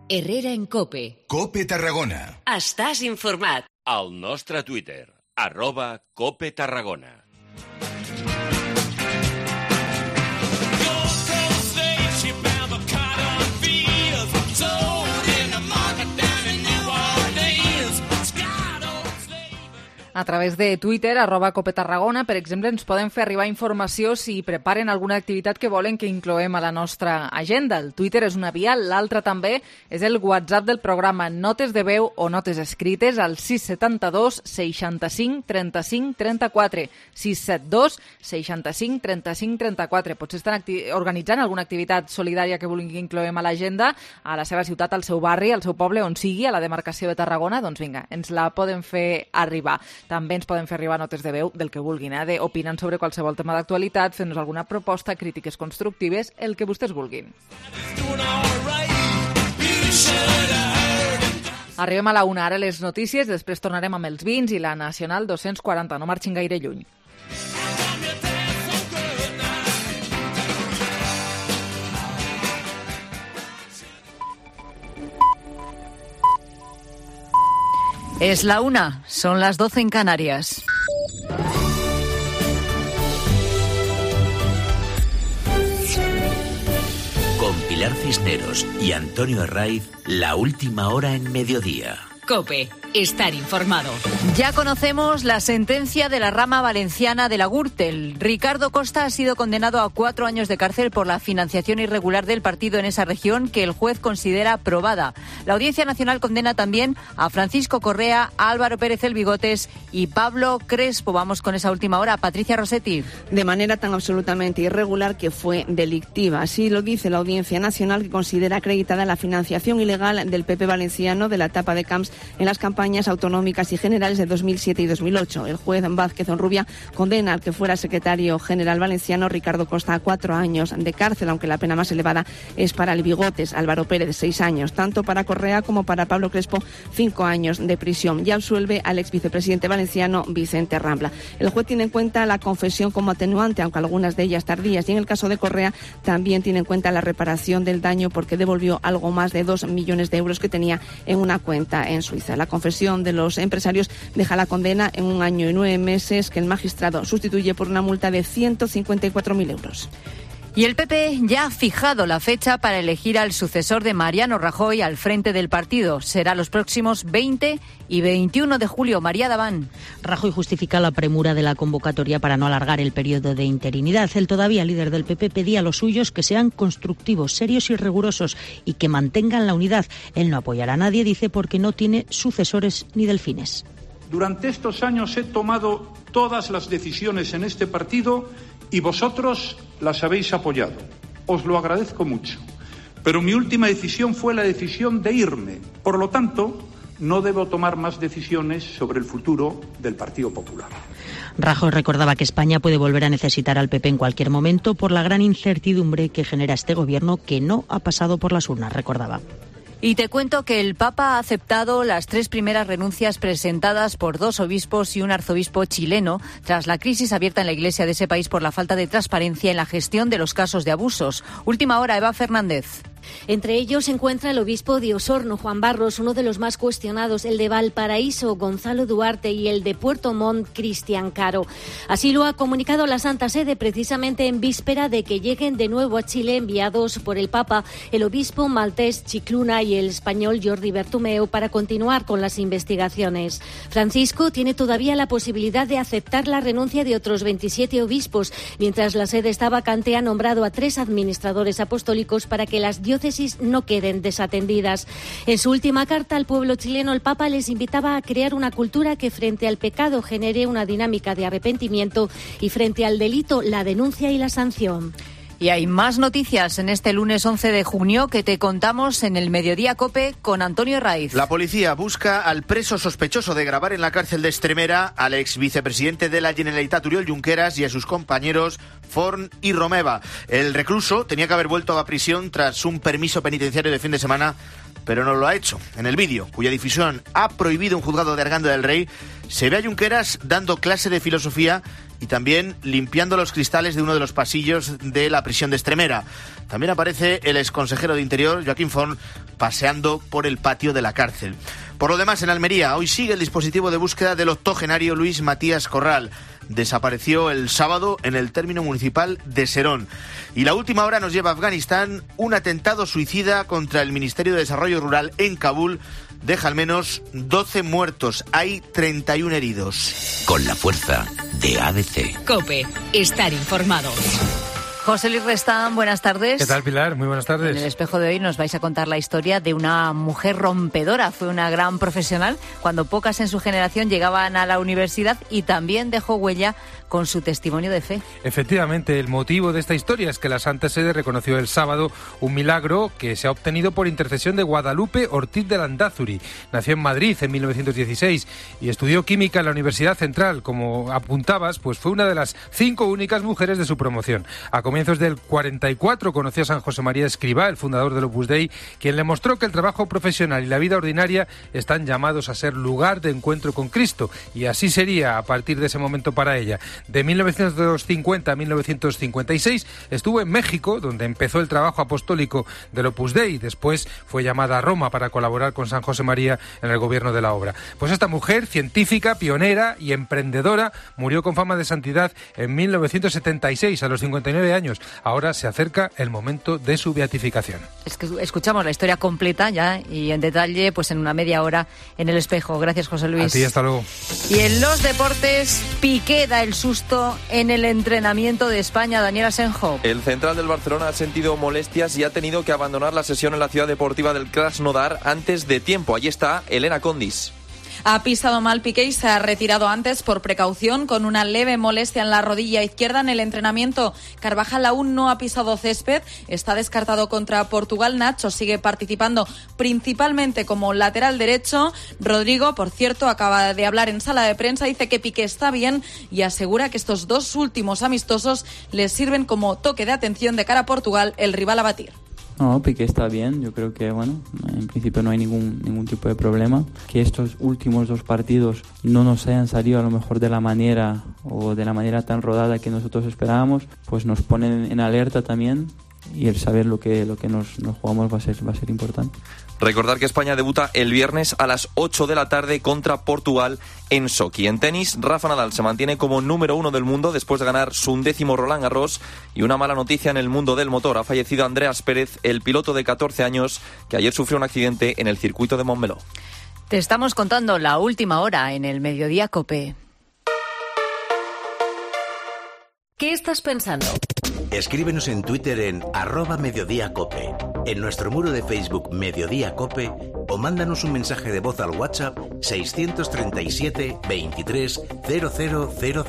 Herrera en COPE. COPE Tarragona. Estàs informat. Al nostre Twitter, @COPE Tarragona. A través de Twitter, @COPETarragona, per exemple, ens poden fer arribar informació si preparen alguna activitat que volen que incloem a la nostra agenda. El Twitter és una via, l'altra també és el WhatsApp del programa, notes de veu o notes escrites al 672 65 35 34. 672 65 35 34. Potser estan organitzant alguna activitat solidària que vulguin que incloem a l'agenda, a la seva ciutat, al seu barri, al seu poble, on sigui, a la demarcació de Tarragona. Doncs vinga, ens la poden fer arribar. També ens poden fer arribar notes de veu del que vulguin, opinant sobre qualsevol tema d'actualitat, fent-nos alguna proposta, crítiques constructives, el que vostès vulguin. Arribem a la 1, ara les notícies, després tornarem amb els vins i la Nacional 240, no marxin gaire lluny. Es la 1, son las 12 en Canarias. Con Pilar Cisneros y Antonio Herraiz, la última hora en mediodía. COPE, estar informado. Ya conocemos la sentencia de la rama valenciana de la Gürtel. Ricardo Costa ha sido condenado a 4 años de cárcel por la financiación irregular del partido en esa región que el juez considera probada. La Audiencia Nacional condena también a Francisco Correa, a Álvaro Pérez el Bigotes y Pablo Crespo. Vamos con esa última hora. Patricia Rossetti. De manera tan absolutamente irregular que fue delictiva. Así lo dice la Audiencia Nacional, que considera acreditada la financiación ilegal del PP valenciano de la etapa de Camps en las campañas autonómicas y generales de 2007 y 2008. El juez Vázquez Onrubia condena al que fuera secretario general valenciano Ricardo Costa a 4 años de cárcel, aunque la pena más elevada es para el Bigotes, Álvaro Pérez, 6 años. Tanto para Correa como para Pablo Crespo, 5 años de prisión. Y absuelve al ex vicepresidente valenciano Vicente Rambla. El juez tiene en cuenta la confesión como atenuante, aunque algunas de ellas tardías. Y en el caso de Correa también tiene en cuenta la reparación del daño porque devolvió algo más de 2 millones de euros que tenía en una cuenta en Suiza. La confesión de los empresarios deja la condena en 1 año y 9 meses que el magistrado sustituye por una multa de 154.000 euros. Y el PP ya ha fijado la fecha para elegir al sucesor de Mariano Rajoy al frente del partido. Será los próximos 20 y 21 de julio. María Daván. Rajoy justifica la premura de la convocatoria para no alargar el periodo de interinidad. El todavía líder del PP pedía a los suyos que sean constructivos, serios y rigurosos y que mantengan la unidad. Él no apoyará a nadie, dice, porque no tiene sucesores ni delfines. Durante estos años he tomado todas las decisiones en este partido y vosotros las habéis apoyado. Os lo agradezco mucho. Pero mi última decisión fue la decisión de irme. Por lo tanto, no debo tomar más decisiones sobre el futuro del Partido Popular. Rajoy recordaba que España puede volver a necesitar al PP en cualquier momento por la gran incertidumbre que genera este gobierno que no ha pasado por las urnas, recordaba. Y te cuento que el Papa ha aceptado las 3 primeras renuncias presentadas por 2 obispos y un arzobispo chileno tras la crisis abierta en la Iglesia de ese país por la falta de transparencia en la gestión de los casos de abusos. Última hora, Eva Fernández. Entre ellos se encuentra el obispo de Osorno, Juan Barros, uno de los más cuestionados, el de Valparaíso, Gonzalo Duarte, y el de Puerto Montt, Cristian Caro. Así lo ha comunicado la Santa Sede precisamente en víspera de que lleguen de nuevo a Chile enviados por el Papa, el obispo maltés Chicluna y el español Jordi Bertomeu para continuar con las investigaciones. Francisco tiene todavía la posibilidad de aceptar la renuncia de otros 27 obispos, mientras la sede está vacante ha nombrado a 3 administradores apostólicos para que las diócesis no queden desatendidas. En su última carta al pueblo chileno, el Papa les invitaba a crear una cultura que frente al pecado genere una dinámica de arrepentimiento y frente al delito la denuncia y la sanción. Y hay más noticias en este lunes 11 de junio que te contamos en el Mediodía COPE con Antonio Raiz. La policía busca al preso sospechoso de grabar en la cárcel de Extremera al ex vicepresidente de la Generalitat, Oriol Junqueras, y a sus compañeros Forn y Romeva. El recluso tenía que haber vuelto a prisión tras un permiso penitenciario de fin de semana, pero no lo ha hecho. En el vídeo, cuya difusión ha prohibido un juzgado de Arganda del Rey, se ve a Junqueras dando clase de filosofía y también limpiando los cristales de uno de los pasillos de la prisión de Extremera. También aparece el exconsejero de Interior, Joaquín Forn, paseando por el patio de la cárcel. Por lo demás, en Almería, hoy sigue el dispositivo de búsqueda del octogenario Luis Matías Corral. Desapareció el sábado en el término municipal de Serón. Y la última hora nos lleva a Afganistán. Un atentado suicida contra el Ministerio de Desarrollo Rural en Kabul deja al menos 12 muertos. Hay 31 heridos. Con la fuerza de ADC. COPE. Estar informado. José Luis Restán, buenas tardes. ¿Qué tal, Pilar? Muy buenas tardes. En el espejo de hoy nos vais a contar la historia de una mujer rompedora. Fue una gran profesional cuando pocas en su generación llegaban a la universidad y también dejó huella con su testimonio de fe. Efectivamente, el motivo de esta historia es que la Santa Sede reconoció el sábado un milagro que se ha obtenido por intercesión de Guadalupe Ortiz de Landázuri. Nació en Madrid en 1916 y estudió química en la Universidad Central. Como apuntabas, pues fue una de las 5 únicas mujeres de su promoción. A comienzos del 44 conoció a San José María Escrivá, el fundador del Opus Dei, quien le mostró que el trabajo profesional y la vida ordinaria están llamados a ser lugar de encuentro con Cristo, y así sería a partir de ese momento para ella. De 1950 a 1956 estuvo en México, donde empezó el trabajo apostólico del Opus Dei. Después fue llamada a Roma para colaborar con San José María en el gobierno de la obra. Pues esta mujer, científica, pionera y emprendedora, murió con fama de santidad en 1976, a los 59 años. años. Ahora se acerca el momento de su beatificación. Es que escuchamos la historia completa ya y en detalle pues en una media hora en El Espejo. Gracias, José Luis. A ti, hasta luego. Y en los deportes, Piqué da el susto en el entrenamiento de España. Daniel Asenjo. El central del Barcelona ha sentido molestias y ha tenido que abandonar la sesión en la ciudad deportiva del Krasnodar antes de tiempo. Allí está Elena Condis. Ha pisado mal Piqué y se ha retirado antes por precaución con una leve molestia en la rodilla izquierda en el entrenamiento. Carvajal aún no ha pisado césped, está descartado contra Portugal. Nacho sigue participando principalmente como lateral derecho. Rodrigo, por cierto, acaba de hablar en sala de prensa, dice que Piqué está bien y asegura que estos dos últimos amistosos les sirven como toque de atención de cara a Portugal, el rival a batir. No, Piqué está bien, yo creo que bueno, en principio no hay ningún tipo de problema. Que estos últimos dos partidos no nos hayan salido a lo mejor de la manera o de la manera tan rodada que nosotros esperábamos, pues nos ponen en alerta también y el saber lo que nos jugamos va a ser importante. Recordar que España debuta el viernes a las 8 de la tarde contra Portugal en Sochi. En tenis, Rafa Nadal se mantiene como número 1 del mundo después de ganar su 11º Roland Garros. Y una mala noticia en el mundo del motor. Ha fallecido Andreas Pérez, el piloto de 14 años, que ayer sufrió un accidente en el circuito de Montmeló. Te estamos contando la última hora en el Mediodía COPE. ¿Qué estás pensando? Escríbenos en Twitter en @mediodíacope, en nuestro muro de Facebook Mediodía Cope o mándanos un mensaje de voz al WhatsApp 637 23 0000.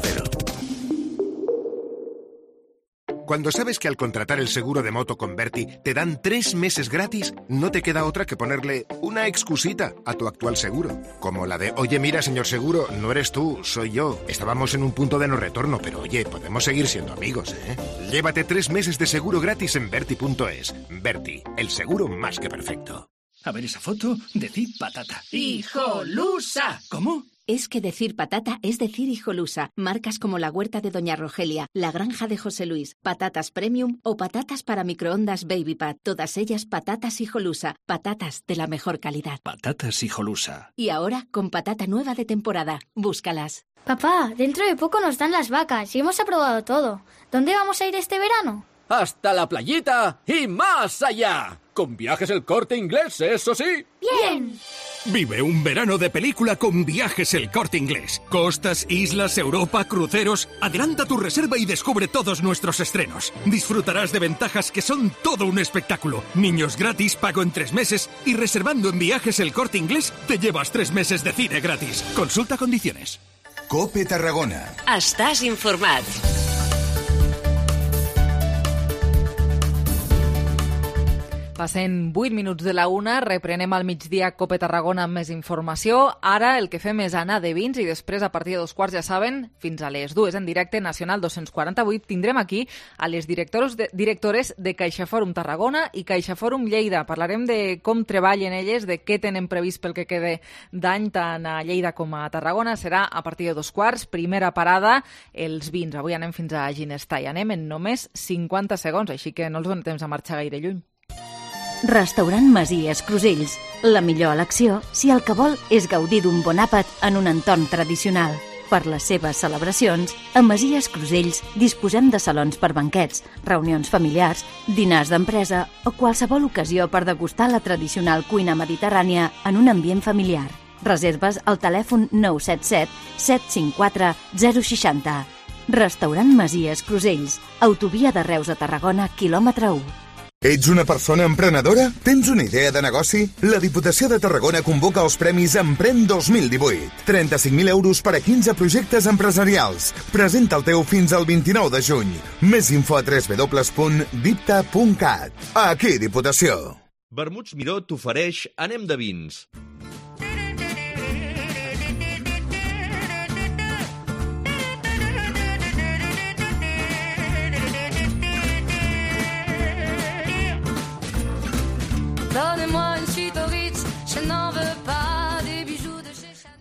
Cuando sabes que al contratar el seguro de moto con Berti te dan 3 meses gratis, no te queda otra que ponerle una excusita a tu actual seguro. Como la de, oye, mira, señor seguro, no eres tú, soy yo. Estábamos en un punto de no retorno, pero oye, podemos seguir siendo amigos, ¿eh? Llévate 3 meses de seguro gratis en Berti.es. Berti, el seguro más que perfecto. A ver esa foto, decid patata. ¡Hijolusa! ¿Cómo? Es que decir patata es decir hijolusa. Marcas como la huerta de Doña Rogelia, la granja de José Luis, patatas premium o patatas para microondas Baby Pat. Todas ellas patatas hijolusa. Patatas de la mejor calidad. Patatas hijolusa. Y ahora con patata nueva de temporada. Búscalas. Papá, dentro de poco nos dan las vacas y hemos aprobado todo. ¿Dónde vamos a ir este verano? Hasta la playita y más allá. Con Viajes El Corte Inglés, eso sí. ¡Bien! Vive un verano de película con Viajes El Corte Inglés. Costas, islas, Europa, cruceros. Adelanta tu reserva y descubre todos nuestros estrenos. Disfrutarás de ventajas que son todo un espectáculo. Niños gratis, pago en 3 meses y reservando en Viajes El Corte Inglés te llevas 3 meses de cine gratis. Consulta condiciones. COPE Tarragona. Estàs informat. Passen 8 minuts de la 1, reprenem al migdia COPE Tarragona amb més informació. Ara el que fem és anar de vins i després, a partir de 2 quarts, ja saben, fins a les 2 en directe, Nacional 248, tindrem aquí a les directores de CaixaFòrum Tarragona i CaixaFòrum Lleida. Parlarem de com treballen elles, de què tenen previst pel que quede d'any tant a Lleida com a Tarragona. Serà a partir de 2 quarts. Primera parada, els vins. Avui anem fins a Ginestar i anem en només 50 segons, així que no els donem temps a marxar gaire lluny. Restaurant Masies Crusells. La millor elecció si el que vol és gaudir d'un bon àpat en un entorn tradicional. Per les seves celebracions, a Masies Crusells disposem de salons per banquets, reunions familiars, dinars d'empresa o qualsevol ocasió per degustar la tradicional cuina mediterrània en un ambient familiar. Reserves al telèfon 977 754 060. Restaurant Masies Crusells, autovia de Reus a Tarragona, quilòmetre 1. Ets una persona emprenedora? Tens una idea de negoci? La Diputació de Tarragona convoca els Premis Emprèn 2018. 35.000 euros per a 15 projectes empresarials. Presenta el teu fins al 29 de juny. Més info a www.dipta.cat. Aquí, Diputació. Vermuts Miró t'ofereix Anem de vins.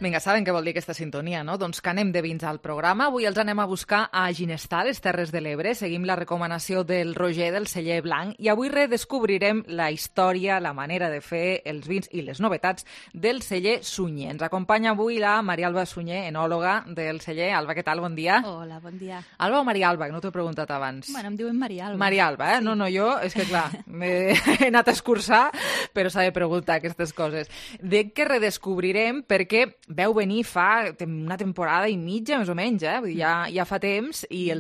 Vinga, saben què vol dir aquesta sintonia, no? Doncs que anem de vins al programa. Avui els anem a buscar a Ginestar, les Terres de l'Ebre. Seguim la recomanació del Roger, del celler blanc, i avui redescobrirem la història, la manera de fer els vins i les novetats del celler Sunyer. Ens acompanya avui la Maria Alba Sunyer, enòloga del celler. Alba, què tal? Bon dia. Hola, bon dia. Alba o Maria Alba, que no t'ho he preguntat abans. Bueno, em diuen Maria Alba. Maria Alba, eh? Sí. No, jo, és que clar, he anat a escurçar, però s'ha de preguntar aquestes coses. Dic que redescobrirem perquè veu venir fa una temporada i mitja, més o menys, vull dir, ja fa temps, i el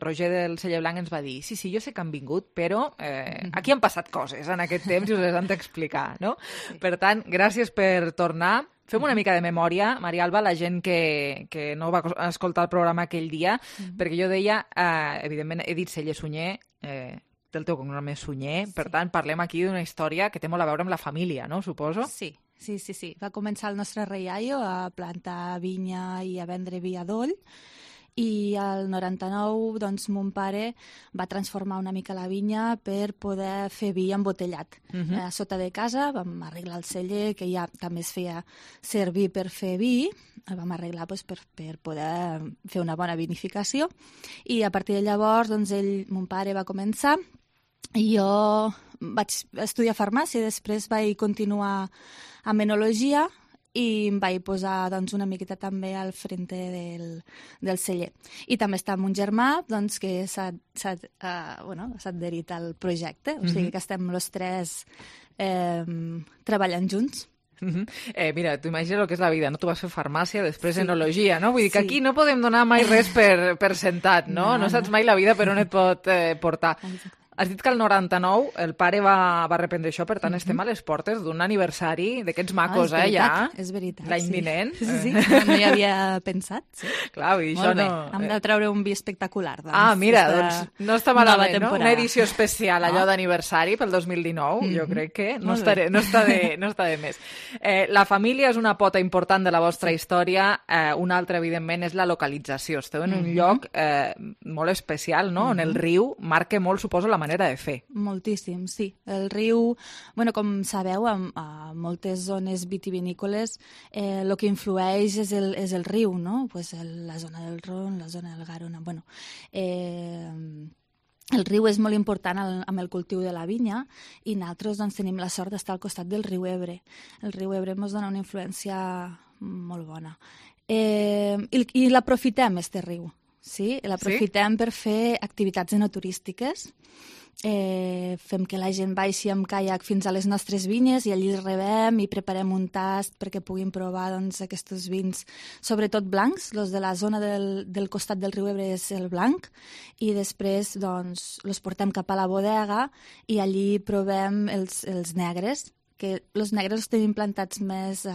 Roger del celler blanc ens va dir sí, jo sé que han vingut, però aquí han passat coses en aquest temps i us les han d'explicar, no? Sí. Per tant, gràcies per tornar. Fem una mica de memòria, Maria Alba, la gent que no va escoltar el programa aquell dia, perquè jo deia, evidentment he dit celler Sunyer, el teu cognom és Sunyer, per tant, parlem aquí d'una història que té molt a veure amb la família, no? Suposo? Sí. Va començar el nostre rei iaio a plantar vinya i a vendre vi a Doll, i al 99 doncs, mon pare va transformar una mica la vinya per poder fer vi embotellat. A sota de casa vam arreglar el celler, que ja també es feia servir per fer vi, el vam arreglar doncs, per poder fer una bona vinificació, i a partir de llavors doncs, mon pare va començar, i jo vaig estudiar farmàcia i després vaig continuar amb enologia i em vaig posar doncs, una miqueta també al frente del celler. I també està amb un germà doncs, que s'ha adherit al projecte, o sigui que estem els tres treballant junts. Mira, tu imagines el que és la vida, no? Tu vas fer farmàcia, després enologia, no? Vull dir que aquí no podem donar mai res per sentat, no? No saps mai la vida per on et pot portar. Has dit que el 99 el pare va reprendre això, per tant estem a les portes d'un aniversari d'aquests macos, ja. És veritat, l'any vinent. Sí, no hi havia pensat. Sí. Clar, vull dir, això no... Hem de treure un vi espectacular. Doncs, mira, doncs no està malament, no? Una edició especial, allò d'aniversari pel 2019, jo crec que no està de més. La família és una pota important de la vostra història, una altra, evidentment, és la localització. Esteu en un lloc molt especial, no? On el riu marca molt, suposo, la manera de fer. Moltíssim, sí. El riu, com sabeu, a moltes zones vitivinícoles el que influeix és el riu, no? Pues la zona del Ron, la zona del Garona. El riu és molt important amb el cultiu de la vinya i nosaltres doncs, tenim la sort d'estar al costat del riu Ebre. El riu Ebre ens dona una influència molt bona. I l'aprofitem, este riu. Sí, l'aprofitem per fer activitats enoturístiques. Fem que la gent baixi amb caiac fins a les nostres vinyes i allí els rebem i preparem un tast perquè puguin provar aquests vins, sobretot blancs. Els de la zona del costat del riu Ebre és el blanc i després els portem cap a la bodega i allí provem els negres, que els negres els tenim plantats més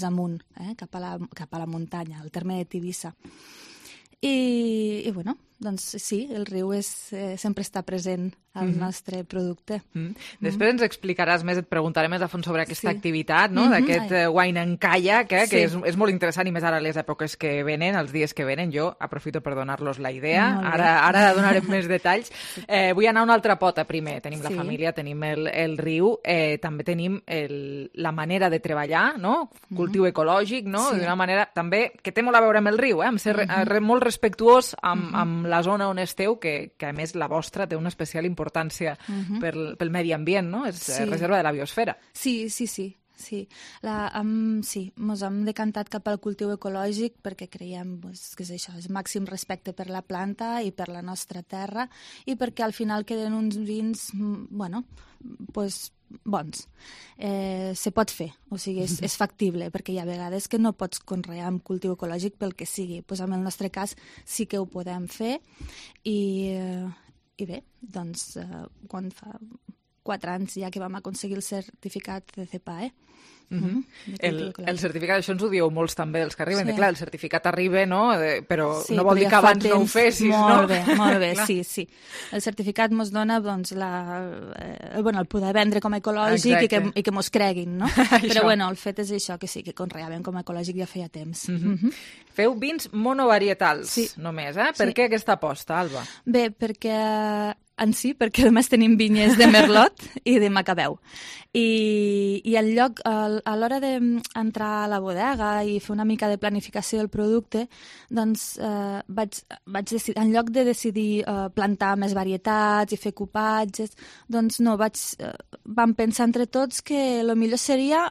amunt, cap a la muntanya, al terme de Tivissa. I doncs sí, el riu sempre està present al nostre producte. Després ens explicaràs més, et preguntaré més a fons sobre aquesta activitat, no? D'aquest wine en kayak, que és molt interessant i més ara les èpoques que venen, els dies que venen. Jo aprofito per donar-los la idea. Ara donarem més detalls. Vull anar a una altra pota primer. Tenim la família, tenim el riu, també tenim la manera de treballar, no? Cultiu ecològic, no? D'una manera també que té molt a veure amb el riu, amb ser molt respectuós amb la zona on esteu, que a més la vostra té una especial importància pel medi ambient, no? És reserva de la biosfera. Sí. Mos hem decantat cap al cultiu ecològic perquè creiem que és això, és màxim respecte per la planta i per la nostra terra i perquè al final queden uns vins, bons. Se pot fer, o sigui, és factible, perquè hi ha vegades que no pots conrear amb cultiu ecològic pel que sigui. En el nostre cas sí que ho podem fer i bé, doncs quan fa 4 anys ja que vam aconseguir el certificat de CEPAE. El certificat, això ens ho dieu molts també dels que arriben, clar, el certificat arriba, no? Però no vol dir que abans no ho fessis, no? Molt bé, sí. El certificat ens dona el poder vendre com a ecològic i que mos creguin, no? Però el fet és això, que sí, que conreàvem com a ecològic ja feia temps. Feu vins monovarietals només, eh? Per què aquesta aposta, Alba? Bé, perquè en si, perquè només tenim vinyes de Merlot i de Macabeu. I al lloc, a l'hora d'entrar a la bodega i fer una mica de planificació del producte, doncs vaig decidir, en lloc de decidir plantar més varietats i fer cupatges, doncs no, vam pensar entre tots que el millor seria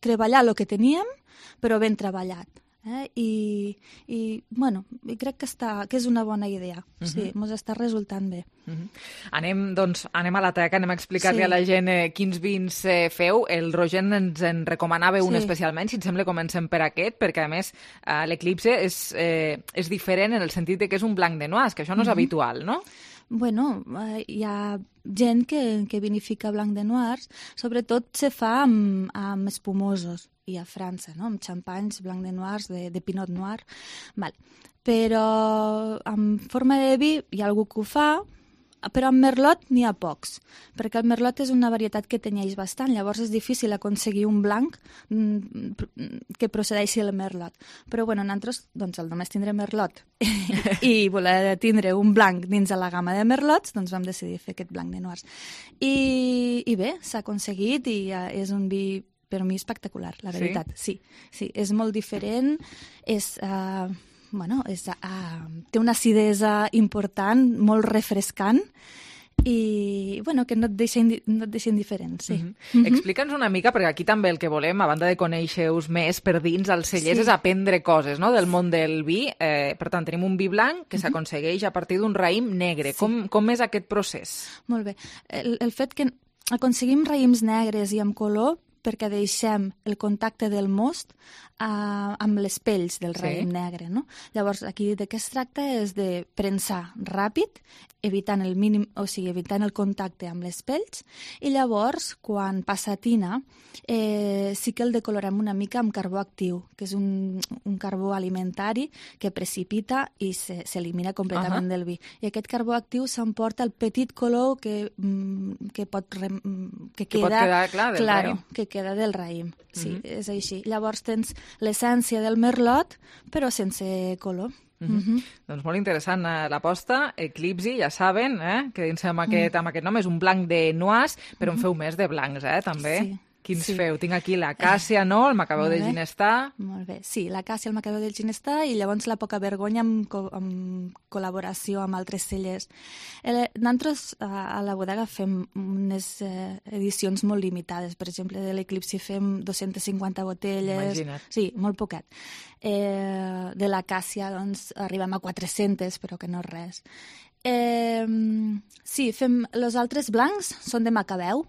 treballar el que teníem, però ben treballat. I crec que és una bona idea. Sí, ens està resultant bé. Anem a la teca, anem a explicar-li a la gent quins vins feu. El Roger ens en recomanava un especialment, si et sembla comencem per aquest, perquè a més l'Eclipse és diferent en el sentit que és un blanc de noix, que això no és habitual, no? Bueno, hi ha gent que vinifica blanc de noirs, sobretot se fa amb espumosos, i a França, no? Amb xampanys blanc de noirs, de pinot noir. Val. Però en forma de vi hi ha algú que ho fa, però amb Merlot n'hi ha pocs, perquè el Merlot és una varietat que tenyeix bastant, llavors és difícil aconseguir un blanc que procedeixi del Merlot. Però bueno, nosaltres doncs, només tindrem Merlot i voler tindre un blanc dins de la gamma de Merlots, doncs vam decidir fer aquest blanc de noirs. I bé, s'ha aconseguit i és un vi per mi espectacular, la veritat. Sí, és molt diferent, té una acidesa important, molt refrescant i que no et deixa indiferent. Sí. Explica'ns una mica, perquè aquí també el que volem, a banda de conèixer-vos més per dins els cellers, és aprendre coses del món del vi. Per tant, tenim un vi blanc que s'aconsegueix a partir d'un raïm negre. Com és aquest procés? Molt bé. El fet que aconseguim raïms negres i amb color perquè deixem el contacte del most amb les pells del raïm negre, no? Llavors, aquí de què es tracta és de premsar ràpid, evitant el contacte amb les pells, i llavors, quan passa a tina, sí que el decolorem una mica amb carbó actiu, que és un carbó alimentari que precipita i s'elimina completament del vi. I aquest carbó actiu s'emporta el petit color que queda del raïm. Sí, és així. Llavors tens l'essència del Merlot, però sense color. Doncs molt interessant l'aposta. Eclipse, ja saben, que dins amb aquest nom és un blanc de noix, però en feu més de blancs, també. Sí. Quins feu? Tinc aquí l'acàcia, no? El Macabeu de Ginestà. Molt bé. Sí, l'acàcia, el Macabeu de Ginestà i llavors la Poca Vergonya amb col·laboració amb altres cellers. Nosaltres a la bodega fem unes edicions molt limitades. Per exemple, de l'Eclipse fem 250 botelles. Imagina't. Sí, molt poquet. De l'acàcia, doncs, arribem a 400, però que no és res. Sí, els altres blancs són de Macabeu,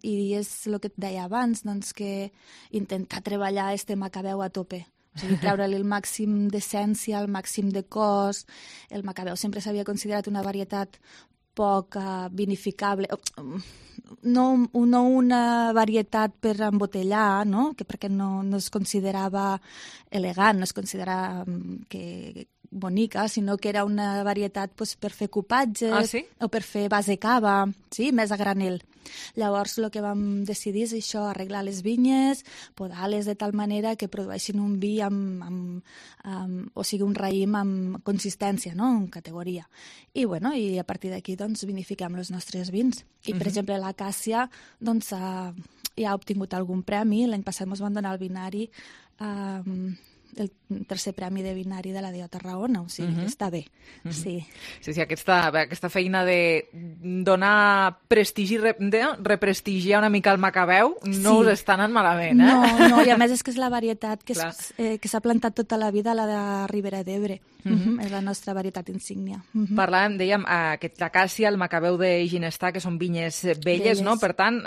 i és el que et deia abans, doncs que intentar treballar este Macabeu a tope, o sigui, treure-li el màxim d'essència, el màxim de cos. El Macabeu sempre s'havia considerat una varietat poc vinificable, no una varietat per embotellar, no? Perquè no es considerava elegant, no es considerava bonica, sinó que era una varietat per fer cupatges o per fer base cava, sí, més a granel. Llavors el que vam decidir és això, arreglar les vinyes, podar-les de tal manera que produeixin un vi o sigui, un raïm amb consistència, no? Amb categoria. I a partir d'aquí doncs vinifiquem els nostres vins. I per exemple l'acàcia doncs ja ha obtingut algun premi. L'any passat ens van donar el vinari el tercer premi de vinari de la DO Tarragona, o sigui, està bé. Sí, aquesta feina de donar prestigi, de represtigiar una mica el Macabeu, no us està anant malament, No, i a més és que és la varietat que s'ha plantat tota la vida, la de Ribera d'Ebre. És la nostra varietat insígnia. Parlàvem, dèiem, l'acàcia, el Macabeu de Ginestà, que són vinyes velles, no? Per tant,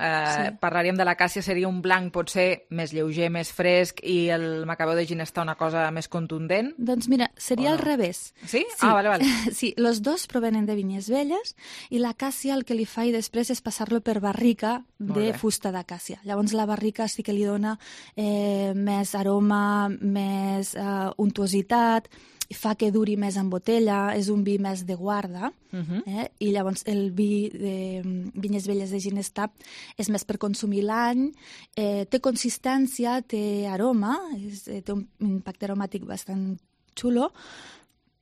parlaríem de l'acàcia, seria un blanc potser més lleuger, més fresc, i el Macabeu de Ginestà una cosa més contundent? Doncs mira, seria al revés. Sí? Vale. Sí, els dos provenen de vinyes velles i l'acàcia el que li fa i després és passar-lo per barrica de fusta d'acàcia. Llavors la barrica sí que li dona més aroma, més untuositat, fa que duri més en botella, és un vi més de guarda, i llavors el vi de vinyes velles de Ginestà és més per consumir l'any, té consistència, té aroma, té un impacte aromàtic bastant xulo,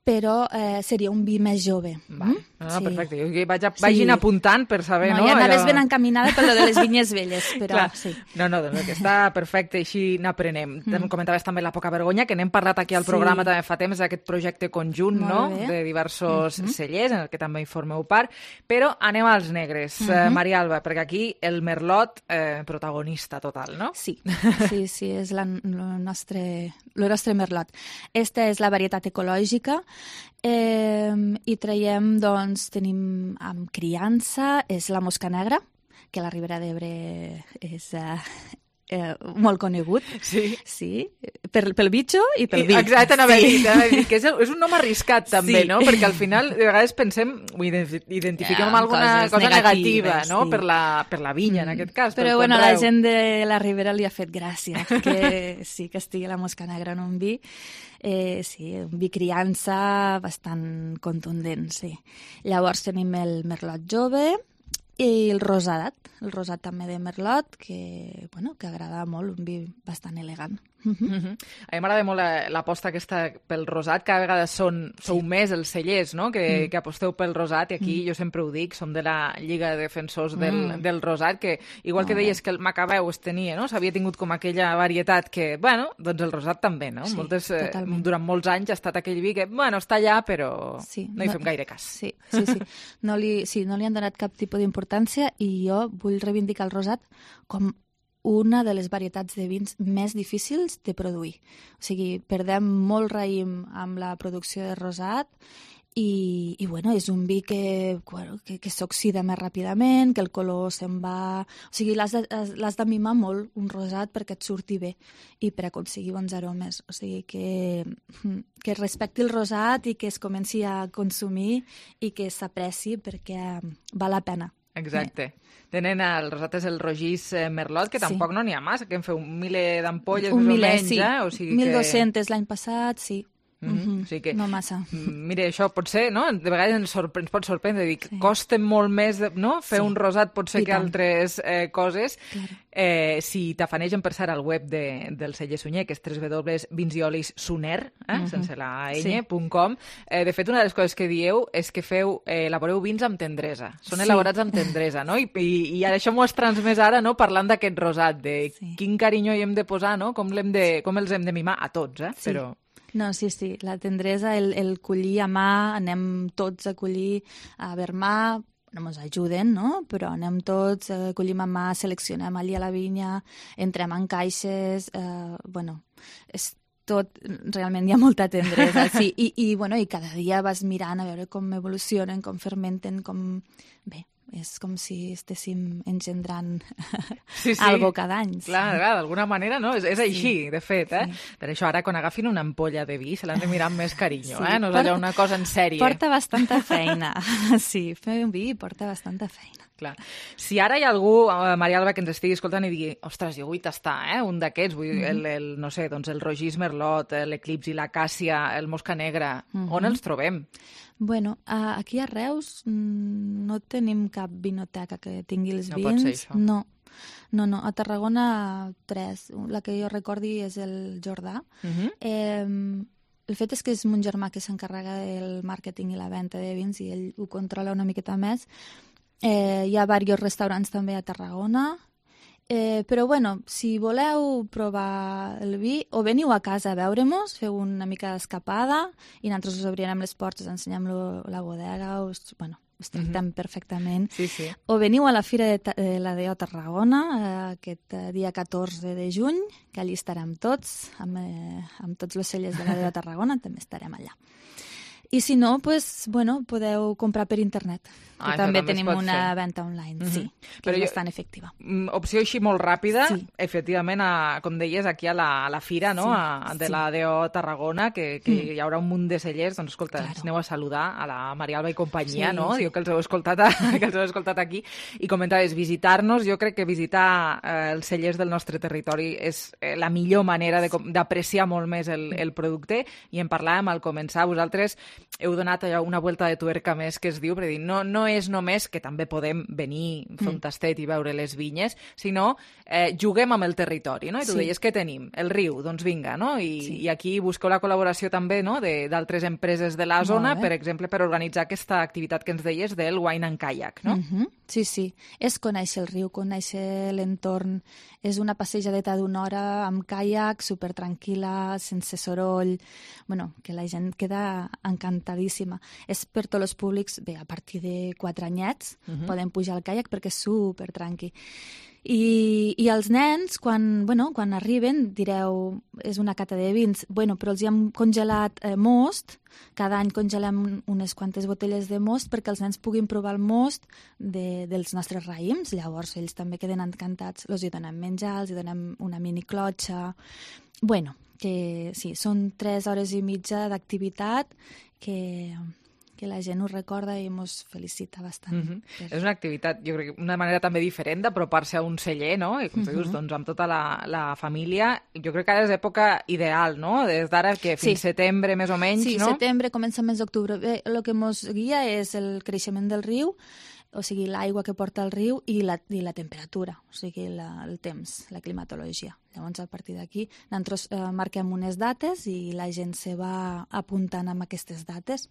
però seria un vi més jove. Perfecte. Vagin apuntant per saber... Ja anaves ben encaminada per lo de les vinyes velles, però sí. Doncs que està perfecte, així n'aprenem. Comentaves també la poca vergonya, que n'hem parlat aquí al programa també fa temps, d'aquest projecte conjunt de diversos cellers, en el que també hi formeu part, però anem als negres. Maria Alba, perquè aquí el merlot protagonista total, no? Sí, és el nostre merlot. Esta és la varietat ecològica i traiem, doncs, tenim amb criança, és la mosca negra, que a la Ribera d'Ebre és molt conegut. Sí. Pel bitxo i pel vi. Exacte, anava a dir que és un nom arriscat també, no? Perquè al final de vegades pensem, identifiquem alguna cosa negativa, no? Per la vinya, en aquest cas. Però bueno, la gent de la Ribera li ha fet gràcia que sí que estigui la mosca negra en un vi. Sí, un vi criança bastant contundent, sí. Llavors tenim el merlot jove i el rosat també de merlot, que agrada molt, un vi bastant elegant. A mi m'agrada molt l'aposta aquesta pel rosat. Cada vegada sou més els cellers, no? Que aposteu pel rosat, i aquí jo sempre ho dic, som de la Lliga de Defensors del Rosat, que igual que deies que el Macabeu es tenia, no? S'havia tingut com aquella varietat que, doncs el rosat també, no? Durant molts anys ha estat aquell vi que, està allà, però no hi fem gaire cas. Sí. No li han donat cap tipus d'importància, i jo vull reivindicar el rosat com una de les varietats de vins més difícils de produir. O sigui, perdem molt raïm amb la producció de rosat i és un vi que s'oxida més ràpidament, que el color se'n va... O sigui, l'has de mimar molt, un rosat, perquè et surti bé i per aconseguir bons aromes. O sigui, que respecti el rosat i que es comenci a consumir i que s'apreci perquè val la pena. Exacte. Tenen el rosat, és el rogís merlot, que tampoc no n'hi ha massa, que en feu 1.000 d'ampolles més o menys. Sí. O sigui 1.200 l'any passat, sí. O sigui que, no massa. Mira, això pot ser, no? De vegades ens pot sorprendre, dic, costa molt més, no? Fer un rosat pot ser que altres coses. Si t'afanegen per ser al web del celler Sunyer, que és www.vinsiolissuner, sense la ñ.com. De fet, una de les coses que dieu és que elaboreu vins amb tendresa. Són elaborats amb tendresa, no? I ara això m'ho has transmès ara, no? Parlant d'aquest rosat, de quin carinyo hi hem de posar, no? Com els hem de mimar a tots, però... No, sí, la tendresa, el collir a mà, anem tots a collir a vermà, no ens ajuden, no? Però anem tots, collim a mà, seleccionem allí a la vinya, entrem en caixes, és tot, realment hi ha molta tendresa, sí, i cada dia vas mirant a veure com evolucionen, com fermenten, com... Bé, és com si estéssim engendrant algo cada any. Clar, d'alguna manera, no? És així, de fet, Per això ara, quan agafin una ampolla de vi, se l'han de mirar amb més carinyo, No és allò una cosa en sèrie. Porta bastanta feina. Sí, fer un vi porta bastanta feina. Clar. Si ara hi ha algú, Maria Alba, que ens estigui escoltant i digui, ostres, jo vull tastar, un d'aquests, no sé, doncs el rogís merlot, l'eclipsi, l'acàcia, el mosca negra, on els trobem? Bueno, aquí a Reus no tenim cap vinoteca que tingui els vins. No pot ser això. No, a Tarragona 3. La que jo recordi és el Jordà. El fet és que és mon germà que s'encarrega del màrqueting i la venda de vins i ell ho controla una miqueta més. Hi ha diversos restaurants també a Tarragona, però si voleu provar el vi, o veniu a casa a veure-mos, feu una mica d'escapada i nosaltres us obrirem les portes, ensenyem la bodega, us tractem perfectament. Sí. O veniu a la Fira de la DO Tarragona aquest dia 14 de juny, que allí estarem tots, amb tots els cellers de la DO Tarragona, també estarem allà. I si no, podeu comprar per internet, que també tenim una venda online, que és bastant efectiva. Opció així molt ràpida, efectivament, com deies, aquí a la fira de la DO Tarragona, que hi haurà un munt de cellers, doncs escolta, aneu a saludar a la Maria Alba i companyia, no? Diu que els heu escoltat aquí, i comentaves, visitar-nos, jo crec que visitar els cellers del nostre territori és la millor manera d'apreciar molt més el producte, i en parlàvem al començar, vosaltres heu donat allò una vuelta de tuerca més que es diu, perquè no és només que també podem venir, fer un tastet i veure les vinyes, sinó juguem amb el territori, no? I tu deies que tenim el riu, doncs vinga, no? I aquí busqueu la col·laboració també, no?, d'altres empreses de la zona, per exemple, per organitzar aquesta activitat que ens deies del wine and kayak, no? Sí. És conèixer el riu, conèixer l'entorn. És una passejadeta d'una hora amb caiac, supertranquil·la, sense soroll. Bueno, que la gent queda encantadíssima. És per tots els públics, bé, a partir de 4 anyets poden pujar al caiac perquè és supertranqui. I els nens, quan arriben, direu, és una cata de vins. Bueno, però els hi hem congelat most. Cada any congelem unes quantes botelles de most perquè els nens puguin provar el most dels nostres raïms. Llavors, ells també queden encantats. Els hi donem menjar, els hi donem una mini clotxa. Bueno, que sí, són 3 hores i mitja d'activitat que la gent ho recorda i ens felicita bastant. És una activitat, jo crec, una manera també diferent d'apropar-se a un celler, no? I com tu dius, doncs amb tota la família. Jo crec que ara és època ideal, no? Des d'ara que fins setembre, més o menys, no? Sí, setembre, comença el mes d'octubre. Bé, el que ens guia és el creixement del riu, o sigui, l'aigua que porta el riu i la temperatura, o sigui, el temps, la climatologia. Llavors, a partir d'aquí, nosaltres marquem unes dates i la gent se va apuntant amb aquestes dates.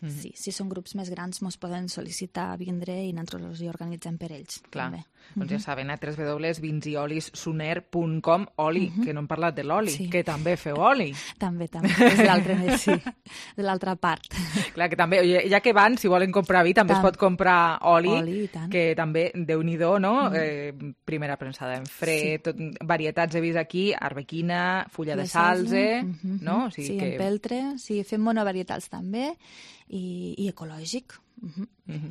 Sí, si són grups més grans ens poden sol·licitar vindre i nosaltres els hi organitzem per ells. Clar, doncs ja saben, www.vinsyolissuner.com. Oli, que no hem parlat de l'oli, que també feu oli. També, és de l'altra part. Clar, que també, ja que van, si volen comprar vi, també es pot comprar oli, que també, Déu-n'hi-do, no? Primera premsada en fred, varietats de vis aquí, arbequina, fulla de salze, no? Sí, empeltre, fem monovarietals també, i ecològic.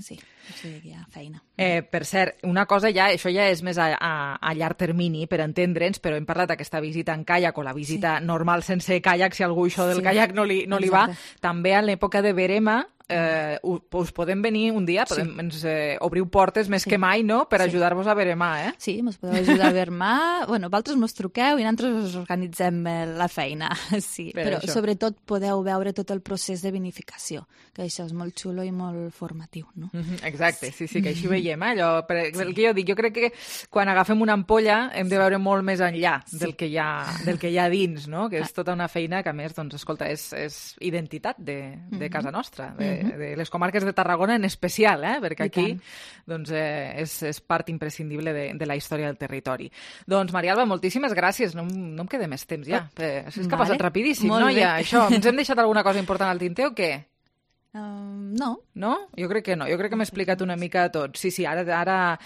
Sí, o sigui, hi ha feina. Per cert, una cosa això ja és més a llarg termini, per entendre'ns, però hem parlat d'aquesta visita en caiac o la visita normal sense caiac, si algú això del caiac no li va. També en l'època de verema us podem venir un dia, ens obriu portes més que mai, no?, per ajudar-vos a veremar, eh? Sí, ens podeu ajudar a veremar. Bueno, vosaltres mos truqueu i nosaltres us organitzem la feina, sí. Però sobretot podeu veure tot el procés de vinificació, que això és molt xulo i molt formatiu, no? Exacte, sí, que així veiem, allò. El que jo dic, jo crec que quan agafem una ampolla hem de veure molt més enllà del que hi ha dins, no?, que és tota una feina que, a més, doncs, escolta, és identitat de casa nostra, de les comarques de Tarragona en especial, perquè aquí doncs, és part imprescindible de la història del territori. Doncs, Maria Alba, moltíssimes gràcies. No em queda més temps ja. És que ha passat rapidíssim, no? Ja, això. Ens hem deixat alguna cosa important al tinter o què? No. No? Jo crec que no. Jo crec que m'he explicat una mica tot. Sí, ara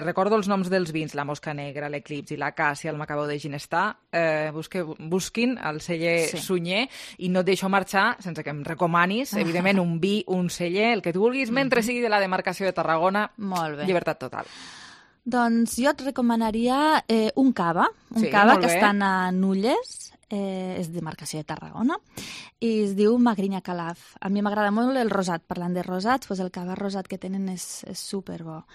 recordo els noms dels vins, la Mosca Negra, l'Eclipsi, la Càssia, el Macabeu de Ginestar. Busquin el celler Sunyer i no et deixo marxar sense que em recomanis, evidentment, un vi, un celler, el que tu vulguis, mentre sigui de la demarcació de Tarragona. Molt bé. Llibertat total. Doncs jo et recomanaria un cava. Que estan a Nulles, és de demarcació de Tarragona, i es diu Magrinya Calaf. A mi m'agrada molt el rosat. Parlant de rosats, doncs el cava rosat que tenen és superbo.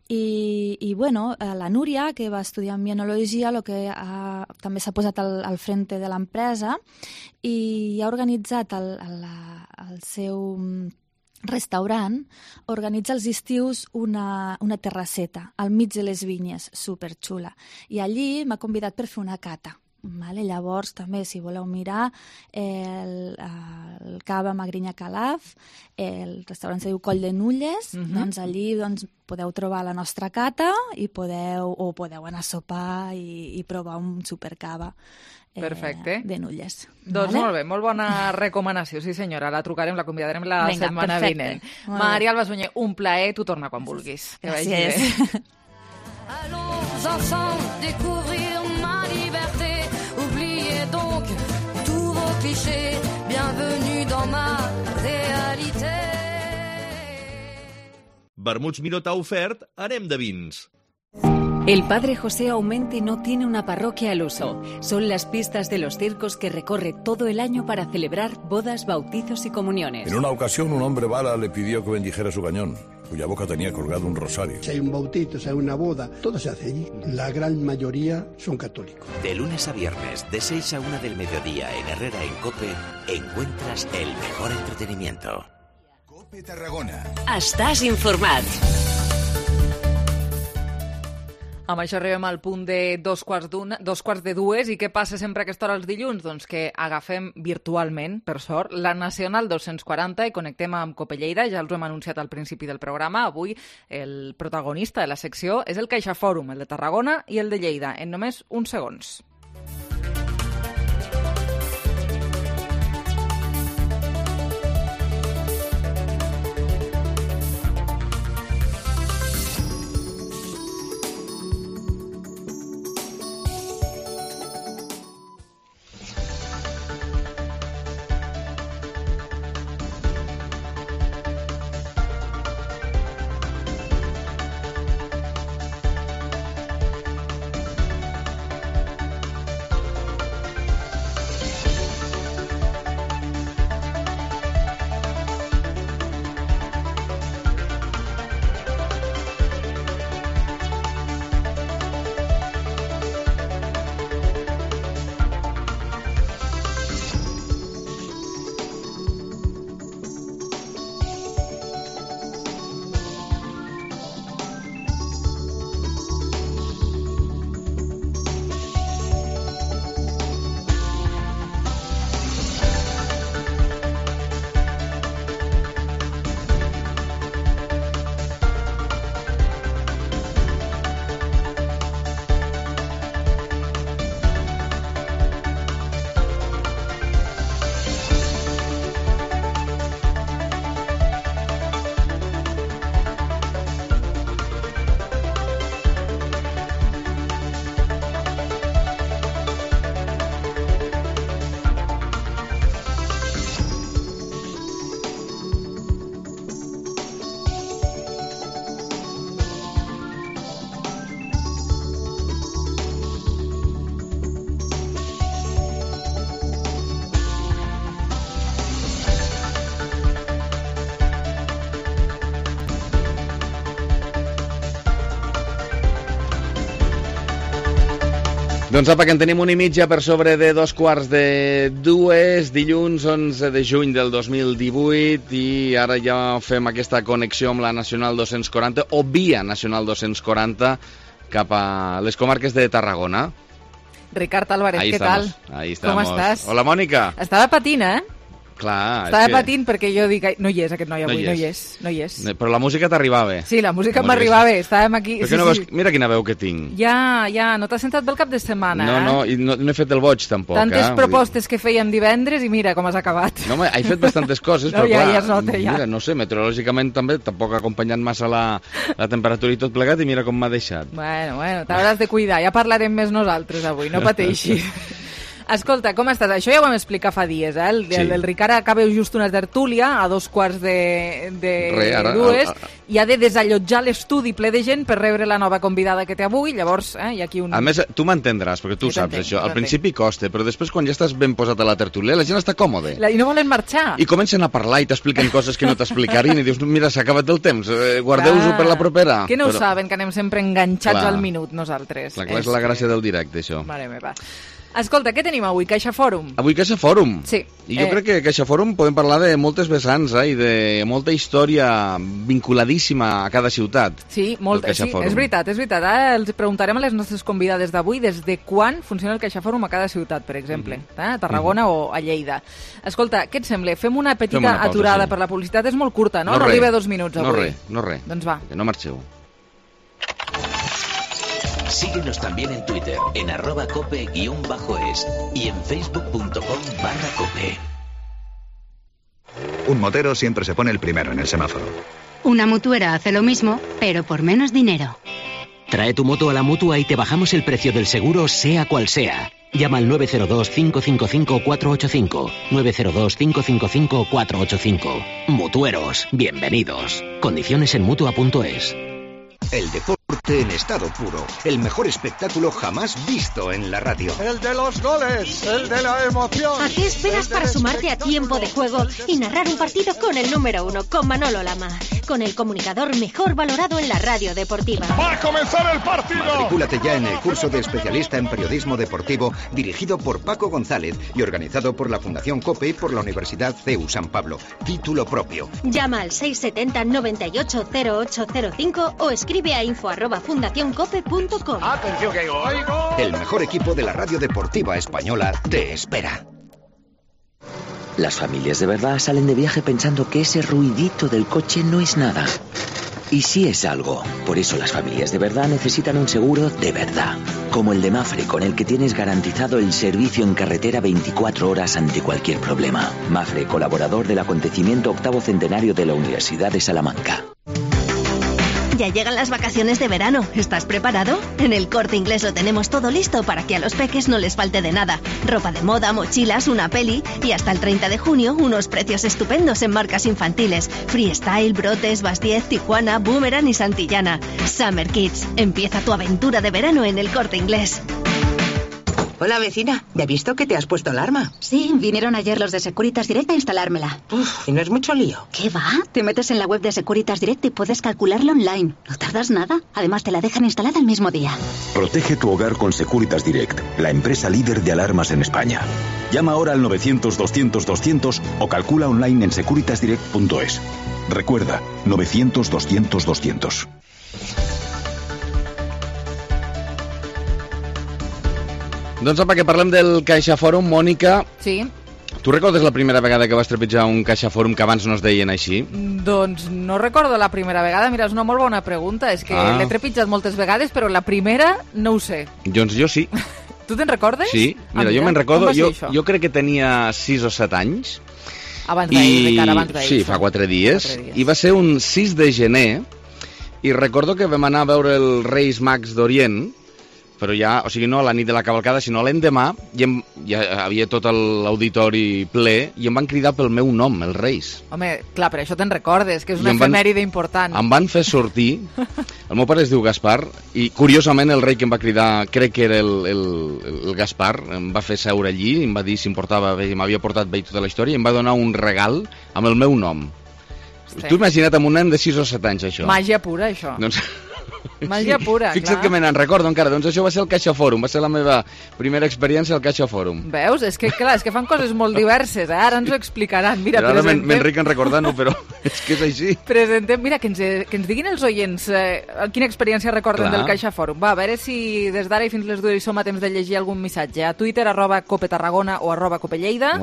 I bueno, la Núria, que va estudiar mienologia, també s'ha posat al frente de l'empresa i ha organitzat el seu restaurant, organitza els estius una terrasseta al mig de les vinyes, superxula. I allí m'ha convidat per fer una cata. Llavors, també, si voleu mirar, el cava Magrinya Calaf, el restaurant se diu Coll de Nulles, doncs allí podeu trobar la nostra cata i podeu anar a sopar i provar un supercava de Nulles. Doncs molt bé, molt bona recomanació, sí senyora, la trucarem, la convidarem la setmana vinent. Maria Alba Sunyer, un plaer, tu torna quan vulguis. Que vagi bé. Allons ensemble découvrir ma liberté. Oubliez donc tous vos clichés. Bienvenue dans ma réalité. Vermuts Miró t'ha ofert Anem de Vins. El Padre José Aumente no tiene una parroquia al uso. Son las pistas de los circos que recorre todo el año para celebrar bodas, bautizos y comuniones. En una ocasión un hombre bala le pidió que bendijera su cañón. cuya boca tenía colgado un rosario. Si hay un bautizo, si hay una boda, todo se hace allí. La gran mayoría son católicos. De lunes a viernes, de 6 a 1 del mediodía en Herrera en COPE, encuentras el mejor entretenimiento. COPE Tarragona. Estàs informat. Amb això arribem al punt de dos quarts de dues. I què passa sempre a aquesta hora els dilluns? Doncs que agafem virtualment, per sort, la Nacional 240 i connectem amb COPE Lleida. Ja els ho hem anunciat al principi del programa. Avui el protagonista de la secció és el CaixaForum, el de Tarragona i el de Lleida, en només uns segons. Doncs apa, que en tenim una i mitja per sobre de 2:45, dilluns 11 de juny del 2018, i ara ja fem aquesta connexió amb la Nacional 240, o via Nacional 240, cap a les comarques de Tarragona. Ricard Álvarez, Ahí què estamos, tal? ahí estamos. Com estàs? Hola, Mònica. Estava patint, Clar, Estava patint perquè jo dic... No hi és aquest noi avui, no hi és. Però la música t'arribava bé. Sí, la música m'arribava bé, estàvem aquí... Perquè no veus... Mira quina veu que tinc. Ja, no t'has sentat bé el cap de setmana, No, i no he fet el boig, tampoc. Tantes propostes que fèiem divendres i mira com has acabat. No, home, he fet bastantes coses, no, però clar... Ja es nota, ja. Mira, no sé, meteorològicament també, tampoc ha acompanyat massa la temperatura i tot plegat, i mira com m'ha deixat. Bueno, t'hauràs de cuidar, ja parlarem més nosaltres avui, no pateixis. Escolta, com estàs? Això ja ho vam explicar fa dies, El Ricard acaba just una tertúlia a 2:45, i ha de desallotjar l'estudi ple de gent per rebre la nova convidada que té avui, llavors hi ha aquí un... A més, tu m'entendràs, perquè tu saps això. Al principi costa, però després quan ja estàs ben posat a la tertúlia, la gent està còmode. I no volen marxar. I comencen a parlar i t'expliquen coses que no t'explicarien i dius, mira, s'ha acabat el temps, guardeu-ho per la propera. Que no ho saben, que anem sempre enganxats al minut nosaltres. Clar, és la gràcia del directe, això. Mare meva. Escolta, què tenim avui? CaixaForum. Avui CaixaForum. Sí. I jo crec que CaixaForum podem parlar de moltes vessants i de molta història vinculadíssima a cada ciutat. Sí, molta, sí, és veritat. Ara els preguntarem a les nostres convidades d'avui des de quan funciona el CaixaForum a cada ciutat, per exemple, a Tarragona o a Lleida. Escolta, què et sembla? Fem una petita aturada per la publicitat, és molt curta, no? No arriba a 2 minuts avui. No res. Doncs va. Que no marxeu. Síguenos también en Twitter, en @cope_es y en facebook.com/cope. Un motero siempre se pone el primero en el semáforo. Una mutuera hace lo mismo, pero por menos dinero. Trae tu moto a la Mutua y te bajamos el precio del seguro, sea cual sea. Llama al 902-555-485. 902-555-485. Mutueros, bienvenidos. Condiciones en Mutua.es. El deporte deporte en estado puro. El mejor espectáculo jamás visto en la radio. El de los goles, el de la emoción. ¿A qué esperas para sumarte a Tiempo de Juego y narrar un partido con el número 1, con Manolo Lama? Con el comunicador mejor valorado en la radio deportiva. ¡Va a comenzar el partido! Matricúlate ya en el curso de especialista en periodismo deportivo dirigido por Paco González y organizado por la Fundación COPE y por la Universidad CEU San Pablo. Título propio. Llama al 670 98 0805 o escribe a info@fundacioncope.com. ¡Atención que oigo! El mejor equipo de la radio deportiva española te espera. Las familias de verdad salen de viaje pensando que ese ruidito del coche no es nada. Y sí es algo. Por eso las familias de verdad necesitan un seguro de verdad. Como el de Mafre, con el que tienes garantizado el servicio en carretera 24 horas ante cualquier problema. Mafre, colaborador del acontecimiento 8º centenario de la Universidad de Salamanca. Ya llegan las vacaciones de verano. ¿Estás preparado? En el Corte Inglés lo tenemos todo listo para que a los peques no les falte de nada. Ropa de moda, mochilas, una peli y hasta el 30 de junio unos precios estupendos en marcas infantiles. Freestyle, Brotes, Bastiez, Tijuana, Boomerang y Santillana. Summer Kids. Empieza tu aventura de verano en el Corte Inglés. Hola, vecina. ¿Ya he visto que te has puesto alarma? Sí, vinieron ayer los de Securitas Direct a instalármela. ¿Y no es mucho lío? ¿Qué va? Te metes en la web de Securitas Direct y puedes calcularlo online. No tardas nada. Además, te la dejan instalada el mismo día. Protege tu hogar con Securitas Direct, la empresa líder de alarmas en España. Llama ahora al 900-200-200 o calcula online en securitasdirect.es. Recuerda, 900-200-200. Doncs apa, que parlem del CaixaForum, Mònica. Sí. Tu recordes la primera vegada que vas trepitjar un CaixaForum que abans no es deien així? Doncs no recordo la primera vegada. Mira, és una molt bona pregunta. És que l'he trepitjat moltes vegades, però la primera no ho sé. Doncs jo sí. Tu te'n recordes? Sí, mira, jo me'n recordo. Jo crec que tenia 6 o 7 anys. Abans d'ahir, Ricard, abans d'ahir. Sí, fa 4 dies. I va ser un 6 de gener i recordo que vam anar a veure els Reis Mags d'Orient, però ja, o sigui, no a la nit de la cavalcada, sinó l'endemà, ja havia tot l'auditori ple i em van cridar pel meu nom, els Reis. Home, clar, per això te'n recordes, que és una efemèride important. Em van fer sortir, el meu pare es diu Gaspar, i curiosament el rei que em va cridar, crec que era el Gaspar, em va fer seure allí, em va dir si em portava bé, m'havia portat bé tota la història, i em va donar un regal amb el meu nom. Sí. Tu imagina't amb un nen de 6 o 7 anys, això. Màgia pura, això. Doncs... Màgia pura, Fixa't que me n'en recordo encara. Doncs això va ser el CaixaForum, va ser la meva primera experiència al CaixaForum. Veus? És que, clar, és que fan coses molt diverses, ara ens ho explicaran. Mira, ara m'enric en recordar-ho, però és que és així. Presentem, mira, que ens diguin els oients quina experiència recorden del CaixaForum. Va, a veure si des d'ara i fins les 2 som a temps de llegir algun missatge. A Twitter, @copetarragona o @copelleida,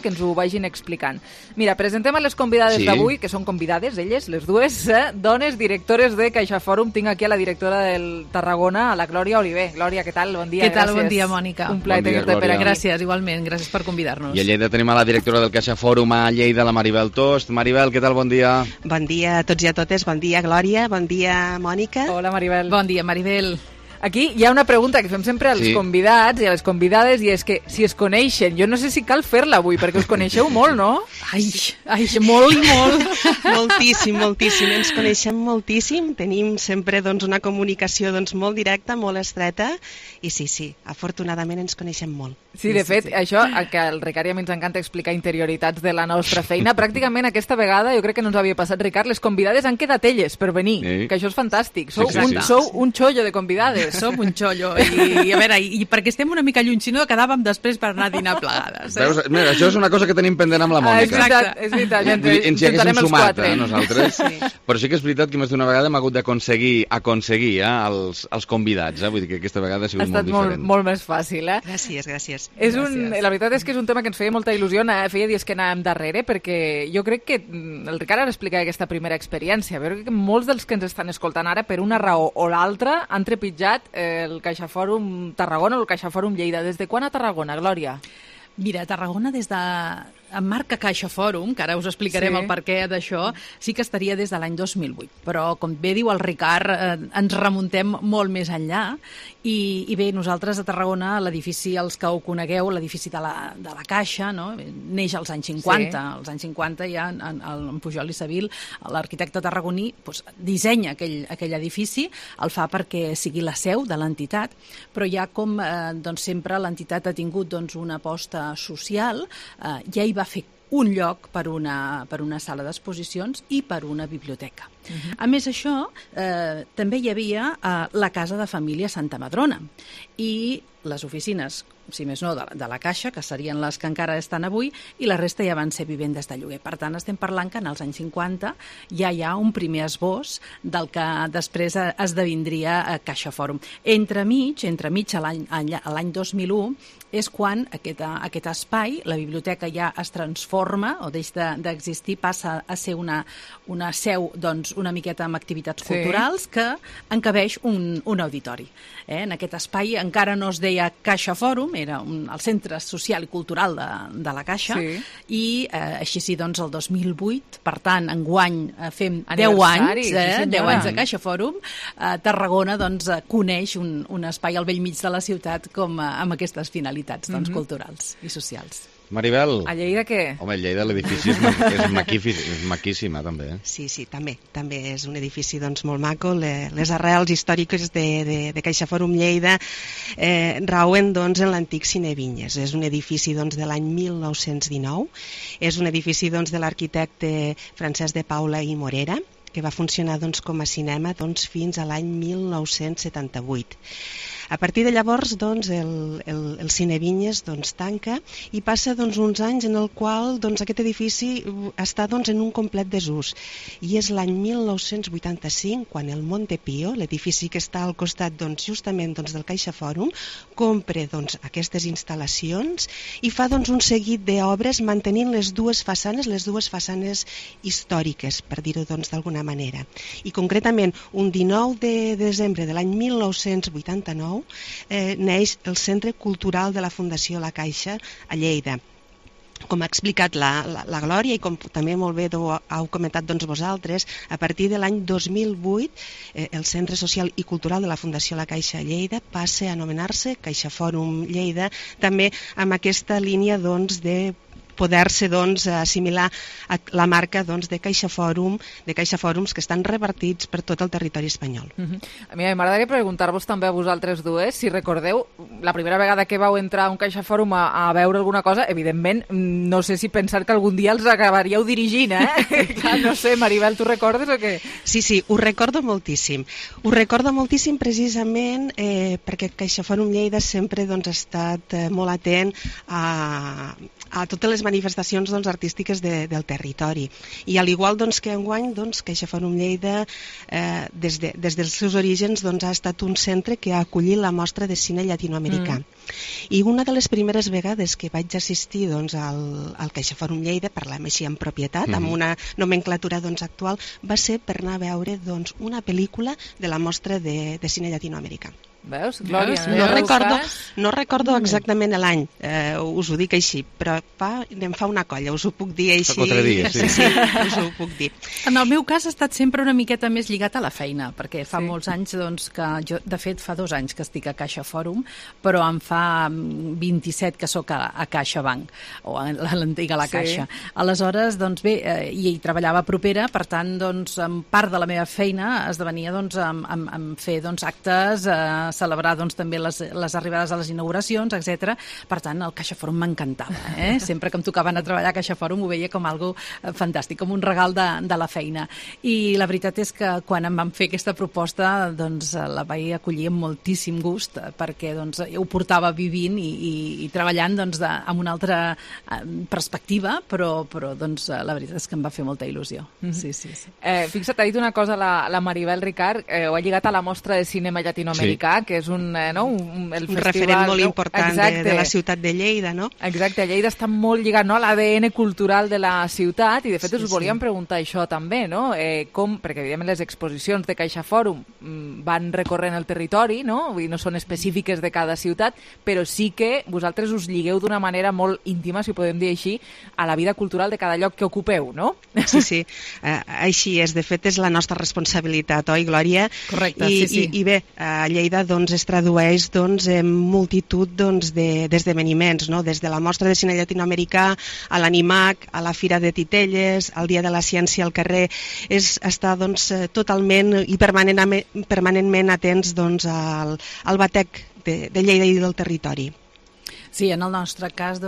que ens ho vagin explicant. Mira, presentem a les convidades d'avui, que són convidades, elles, les dues, dones directores de CaixaForum. Tinc aquí a la directora del Tarragona, a la Glòria Oliver. Glòria, què tal? Bon dia. Què tal? Bon dia, Mònica. Un plaer tenir-te per aquí. Gràcies, igualment. Gràcies per convidar-nos. I a Lleida tenim a la directora del CaixaForum a Lleida, la Maribel Tost. Maribel, què tal? Bon dia. Bon dia a tots i a totes. Bon dia, Glòria. Bon dia, Mònica. Hola, Maribel. Bon dia, Maribel. Aquí hi ha una pregunta que fem sempre als convidats i a les convidades, i és que si es coneixen, jo no sé si cal fer-la avui, perquè us coneixeu molt, no? Ai, molt i molt. Moltíssim. Ens coneixem moltíssim. Tenim sempre una comunicació molt directa, molt estreta, i sí, afortunadament ens coneixem molt. Sí, de fet, això, que al Ricard i a mi ens encanta explicar interioritats de la nostra feina, pràcticament aquesta vegada, jo crec que no ens havia passat, Ricard, les convidades han quedat elles per venir, que això és fantàstic. Sou un xollo de convidades. Som un xollo. I a veure, i perquè estem una mica lluny, si no, quedàvem després per anar a dinar plegades. Veus? Mira, això és una cosa que tenim pendent amb la Mònica. És veritat. Ens hi haguéssim sumat, nosaltres. Però sí que és veritat que més d'una vegada hem hagut d'aconseguir els convidats. Vull dir que aquesta vegada ha sigut molt diferent. Ha estat molt més fàcil, eh? Gràcies. La veritat és que és un tema que ens feia molta il·lusió, feia dies que anàvem darrere, perquè jo crec que el Ricard ara explica aquesta primera experiència. Veure que molts dels que ens estan escoltant ara, per una raó o l'altra, han trepitjat el CaixaForum Tarragona o el CaixaForum Lleida. Des de quan a Tarragona, Glòria? Mira, a Tarragona des de marca Caixa Fòrum, que ara us explicarem el perquè d'això, sí que estaria des de l'any 2008. Però, com bé diu el Ricard, ens remuntem molt més enllà. I bé, nosaltres a Tarragona, l'edifici, els que ho conegueu, l'edifici de la Caixa, no? Neix als anys 50. Sí. Als anys 50 ja en Pujol i Seville, l'arquitecte tarragoní, doncs, dissenya aquell edifici, el fa perquè sigui la seu de l'entitat, però ja com doncs, sempre l'entitat ha tingut doncs, una aposta social, ja hi va fer un lloc per una sala d'exposicions i per una biblioteca. A més, això, també hi havia la Casa de Família Santa Madrona i les oficines, si més no, de la Caixa, que serien les que encara estan avui, i la resta ja van ser vivendes de lloguer. Per tant, estem parlant que en els anys 50 ja hi ha un primer esbós del que després esdevindria Caixa Fòrum. Entremig, a l'any 2001, és quan aquest espai, la biblioteca ja es transforma o deixa d'existir, passa a ser una seu, doncs, una miqueta amb activitats culturals que encabeix un auditori. En aquest espai encara no es deia Caixa Fòrum, era el centre social i cultural de la Caixa, i així sí, doncs, el 2008, per tant, enguany fem 10 anys, 10 anys de Caixa Fòrum, Tarragona doncs, coneix un espai al vell mig de la ciutat com amb aquestes finalitats doncs, culturals i socials. Maribel. A Lleida què? Home, Lleida l'edifici és maquíssima, també. Sí, també. També és un edifici doncs, molt maco. Les arrels històriques de Caixa Fòrum Lleida rauen doncs, en l'antic Cine Vinyes. És un edifici doncs, de l'any 1919. És un edifici doncs, de l'arquitecte Francesc de Paula i Morera, que va funcionar doncs, com a cinema doncs, fins a l'any 1978. A partir de llavors, doncs, el Cine Vinyes doncs, tanca i passa doncs, uns anys en el qual doncs, aquest edifici està doncs, en un complet desús. I és l'any 1985 quan el Montepío, l'edifici que està al costat doncs, justament doncs, del Caixa Fòrum, compra doncs, aquestes instal·lacions i fa doncs, un seguit d'obres mantenint les dues façanes històriques, per dir-ho doncs, d'alguna manera. I concretament, un 19 de desembre de l'any 1989 neix el Centre Cultural de la Fundació La Caixa a Lleida. Com ha explicat la Glòria i com també molt bé heu comentat doncs, vosaltres, a partir de l'any 2008 el Centre Social i Cultural de la Fundació La Caixa a Lleida passa a anomenar-se Caixa Fòrum Lleida, també amb aquesta línia doncs, de poder-se doncs, assimilar a la marca doncs, de Caixa Fòrums que estan repartits per tot el territori espanyol. A mi m'agradaria preguntar-vos també a vosaltres dues, si recordeu, la primera vegada que vau entrar a un Caixa Fòrum a veure alguna cosa, evidentment, no sé si pensar que algun dia els acabaríeu dirigint, Clar, no sé, Maribel, tu recordes o què? Sí, ho recordo moltíssim. Ho recordo moltíssim precisament perquè Caixa Fòrum Lleida sempre doncs, ha estat molt atent a totes les manifestacions doncs, artístiques del territori. I al igual doncs, que enguany, doncs, Caixa Fòrum Lleida, des dels seus orígens, doncs, ha estat un centre que ha acollit la mostra de cine llatinoamericà. I una de les primeres vegades que vaig assistir doncs, al Caixa Fòrum Lleida, parlem així en propietat, amb una nomenclatura doncs, actual, va ser per anar a veure doncs, una pel·lícula de la mostra de cine llatinoamericà. Veus, Glòria? No recordo exactament l'any, us ho dic així, però em fa una colla, us ho puc dir així. Fa 4 dies, sí. Sí, us ho puc dir. En el meu cas ha estat sempre una miqueta més lligat a la feina, perquè fa molts anys doncs, que jo, de fet, fa 2 anys que estic a Caixa Fòrum, però em fa 27 que sóc a CaixaBank, o a l'antiga La Caixa. Aleshores, doncs bé, hi treballava propera, per tant, doncs, part de la meva feina esdevenia doncs, en fer doncs, actes, celebrar doncs, també les arribades a les inauguracions, etc. Per tant, el Caixa Fòrum m'encantava. Sempre que em tocava anar a treballar a Caixa Fòrum ho veia com algo fantàstic, com un regal de la feina. I la veritat és que quan em van fer aquesta proposta doncs, la vaig acollir amb moltíssim gust, perquè doncs, ho portava vivint i treballant doncs, amb una altra perspectiva, però doncs, la veritat és que em va fer molta il·lusió. Sí. Fixa't, ha dit una cosa la Maribel, Ricard, ho ha lligat a la mostra de cinema llatinoamericà, que és un festival, referent molt important de la ciutat de Lleida, no? Exacte, Lleida està molt lligat, no, a l'ADN cultural de la ciutat, i de fet us volíem preguntar això també, no? Perquè evidentment les exposicions de CaixaForum van recorrent el territori, no? Vull dir, no són específiques de cada ciutat, però sí que vosaltres us lligueu d'una manera molt íntima, si ho podem dir així, a la vida cultural de cada lloc que ocupeu, no? Sí, així és. De fet, és la nostra responsabilitat, oi, Glòria? Correcte, sí. I bé, a Lleida es tradueix en multitud d'esdeveniments, no? Des de la Mostra de Cine Llatinoamericà a l'Animac, a la Fira de Titelles, al Dia de la Ciència al carrer. És estar totalment i permanentment atents al batec de Lleida i del territori. Sí, en el nostre cas,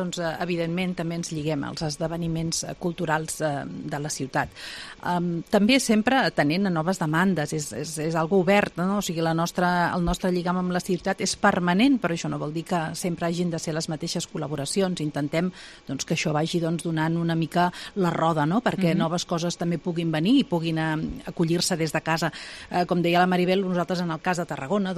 evidentment, també ens lliguem als esdeveniments culturals de la ciutat. També sempre atenent a noves demandes, és algo obert, no? O sigui, el nostre lligam amb la ciutat és permanent, però això no vol dir que sempre hagin de ser les mateixes col·laboracions. Intentem que això vagi donant una mica la roda, no? Perquè noves coses també puguin venir i puguin acollir-se des de casa. Com deia la Maribel, nosaltres en el cas de Tarragona,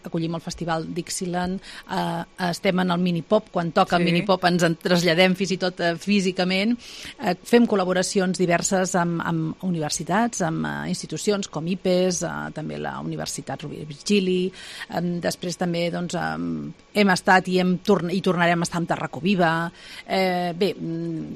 acollim el Festival Dixieland, estem en el Minipop, quan toca el Minipop ens en traslladem fins i tot físicament, fem col·laboracions diverses amb universitats, amb institucions com IPES, també la Universitat Rovira i Virgili, després també hem estat i tornarem a estar amb Tarracó Viva, bé,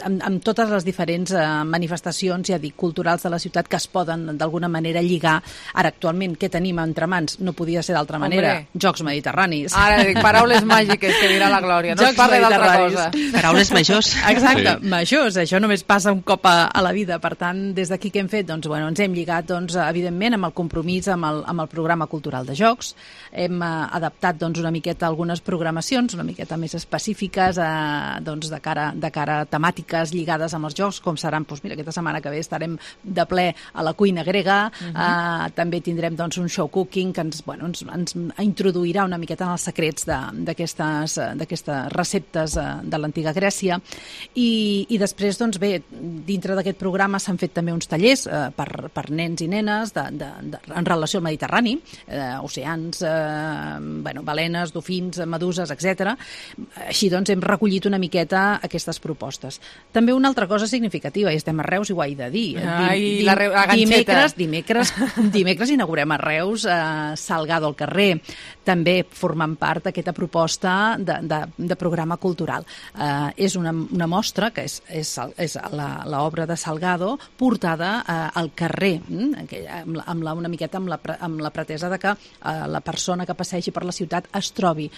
amb totes les diferents manifestacions, ja dic, culturals de la ciutat que es poden d'alguna manera lligar. Ara, actualment, què tenim entre mans? No podia ser d'altra manera. Jocs Mediterranis. Ara dic, paraules màgiques que dirà la Glòria, no es parla d'altra cosa. Paraules majors. Exacte, majors, això només passa un cop a la vida. Per tant, des d'aquí què hem fet? Ens hem lligat, evidentment, amb el compromís amb el programa cultural de jocs. Hem adaptat una miqueta algunes programacions, una miqueta més específiques de cara a temàtiques lligades amb els jocs, com seran, mira, aquesta setmana que ve estarem de ple a la cuina grega, també tindrem un show cooking que ens introduirà una miqueta en els secrets d'aquestes receptes de l'antiga Grècia, i després, bé, dintre d'aquest programa s'han fet també uns tallers per nens i nenes en relació al Mediterrani, oceans, balenes, dofins, meduses, etc. Així hem recollit una miqueta aquestes propostes. També una altra cosa significativa, i estem a Reus i ho he de dir. Dimecres inaugurem a Reus Salgado al carrer, també formant part d'aquesta proposta de programa cultural. És una mostra que és l'obra de Salgado portada al carrer, una miqueta amb la pretesa de que la persona que passegi per la ciutat es trobi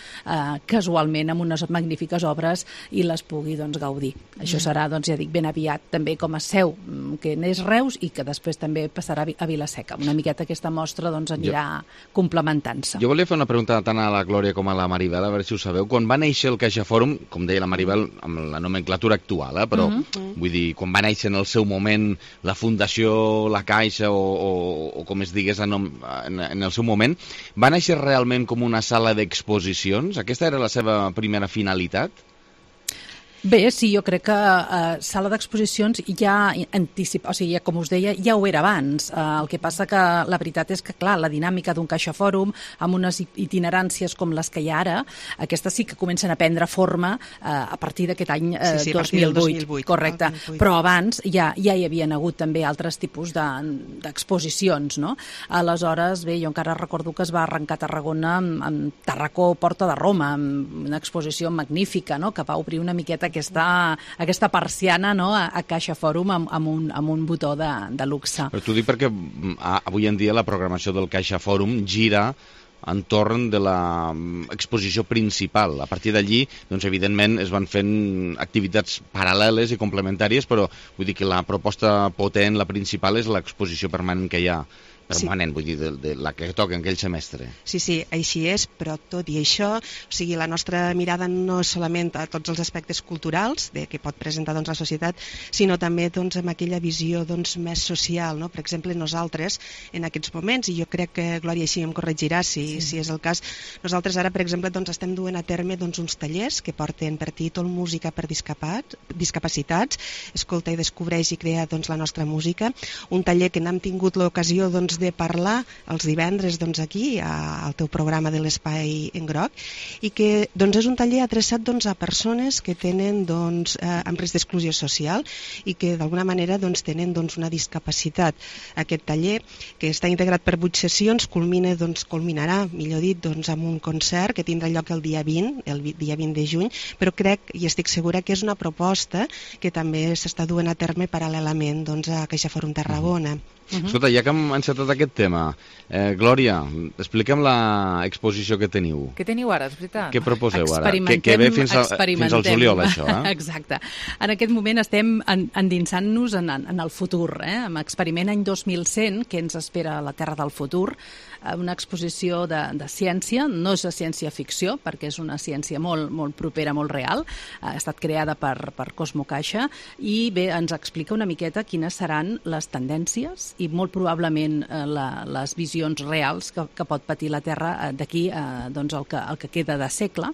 casualment amb unes magnífiques obres i les pugui gaudir. Això serà, ja dic, ben aviat també com a seu, que n'és Reus i que després també passarà a Vila-seca. Una miqueta aquesta mostra anirà complementant-se. Jo volia fer una pregunta tant a la Glòria com a la Maribel, a veure si ho sabeu. Quan va néixer el CaixaForum, com deia la Maribel, amb la nomenclatura actual, però vull dir, quan va néixer en el seu moment la Fundació La Caixa o com es digués en el seu moment, va néixer realment com una sala d'exposicions? Aquesta era la seva primera finalitat? Bé, sí, jo crec que sala d'exposicions ja anticipa, o sigui, com us deia, ja ho era abans. El que passa que la veritat és que, clar, la dinàmica d'un CaixaForum, amb unes itineràncies com les que hi ha ara, aquestes sí que comencen a prendre forma a partir d'aquest any 2008. Correcte. Però abans ja hi havien hagut també altres tipus d'exposicions, no? Aleshores, bé, jo encara recordo que es va arrencar a Tarragona amb Tarracó Porta de Roma, amb una exposició magnífica, no?, que va obrir una miqueta aquesta persiana, no?, a CaixaForum amb un botó de luxe. Però t'ho dic perquè avui en dia la programació del CaixaForum gira entorn de l'exposició principal. A partir d'allí, evidentment, es van fent activitats paral·leles i complementàries, però vull dir que la proposta potent, la principal, és l'exposició permanent que hi ha. Permanent, vull dir, de la que toca en aquell semestre. Sí, així és, però tot i això, o sigui, la nostra mirada no és solament a tots els aspectes culturals que pot presentar la societat, sinó també amb aquella visió més social, no? Per exemple, nosaltres, en aquests moments, i jo crec que Glòria així em corregirà si és el cas, nosaltres ara, per exemple, estem duent a terme uns tallers que porten per títol Música per discapacitats, escolta i descobreix i crea la nostra música, un taller que n'hem tingut l'ocasió de parlar els divendres doncs, aquí, al teu programa de l'Espai en Groc, i que doncs, és un taller adreçat doncs, a persones que tenen doncs, amb risc d'exclusió social i que d'alguna manera doncs, tenen doncs, una discapacitat. Aquest taller, que està integrat per 8 sessions, culminarà, millor dit, doncs, amb un concert que tindrà lloc el dia 20 de juny, però crec i estic segura que és una proposta que també s'està duent a terme paral·lelament doncs, a CaixaForum Tarragona. Escolta, ja que hem encetat aquest tema, Glòria, explica'm l'exposició que teniu. Què teniu ara, és veritat? Què proposeu ara? Que ve fins al juliol, això, Exacte. En aquest moment estem endinsant-nos en el futur, amb Experiment any 2100, que ens espera la Terra del futur, una exposició de ciència, no és de ciència-ficció, perquè és una ciència molt propera, molt real, ha estat creada per Cosmo Caixa, i bé, ens explica una miqueta quines seran les tendències i molt probablement les visions reals que pot patir la Terra d'aquí doncs, el que queda de segle.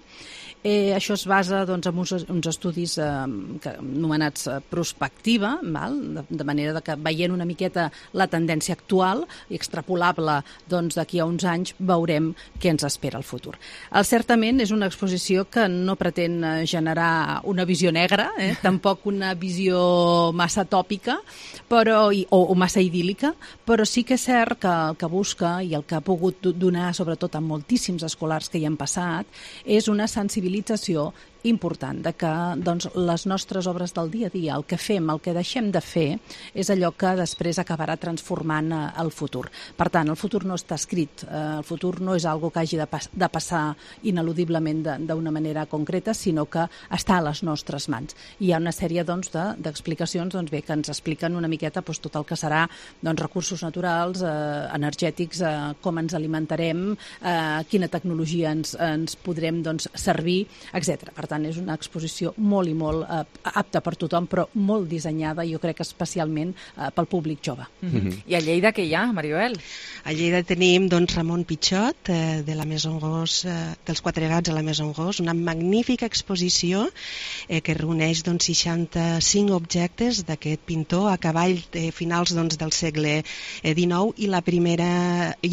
Això es basa doncs, en uns estudis anomenats prospectiva, de manera que veient una miqueta la tendència actual i extrapolable doncs, d'aquí a uns anys veurem què ens espera al futur. Certament és una exposició que no pretén generar una visió negra, tampoc una visió massa tòpica o massa idíl·lica, però sí que és cert que el que busca i el que ha pogut donar sobretot a moltíssims escolars que hi han passat és una sensibilització important de que doncs, les nostres obres del dia a dia, el que fem, el que deixem de fer, és allò que després acabarà transformant el futur. Per tant, el futur no està escrit, el futur no és algo que hagi de passar ineludiblement d'una manera concreta, sinó que està a les nostres mans. I hi ha una sèrie doncs, d'explicacions que ens expliquen una miqueta doncs, tot el que serà doncs, recursos naturals, energètics, com ens alimentarem, quina tecnologia ens podrem doncs, servir, etc. Per tant, és una exposició molt i molt apta per tothom, però molt dissenyada, jo crec, especialment pel públic jove. I a Lleida què hi ha, Maribel? A Lleida tenim doncs, Ramon Pichot, de la Maison Gros, dels Quatre Gats a la Maison Gros, una magnífica exposició que reuneix doncs, 65 objectes d'aquest pintor a cavall finals doncs, del segle XIX i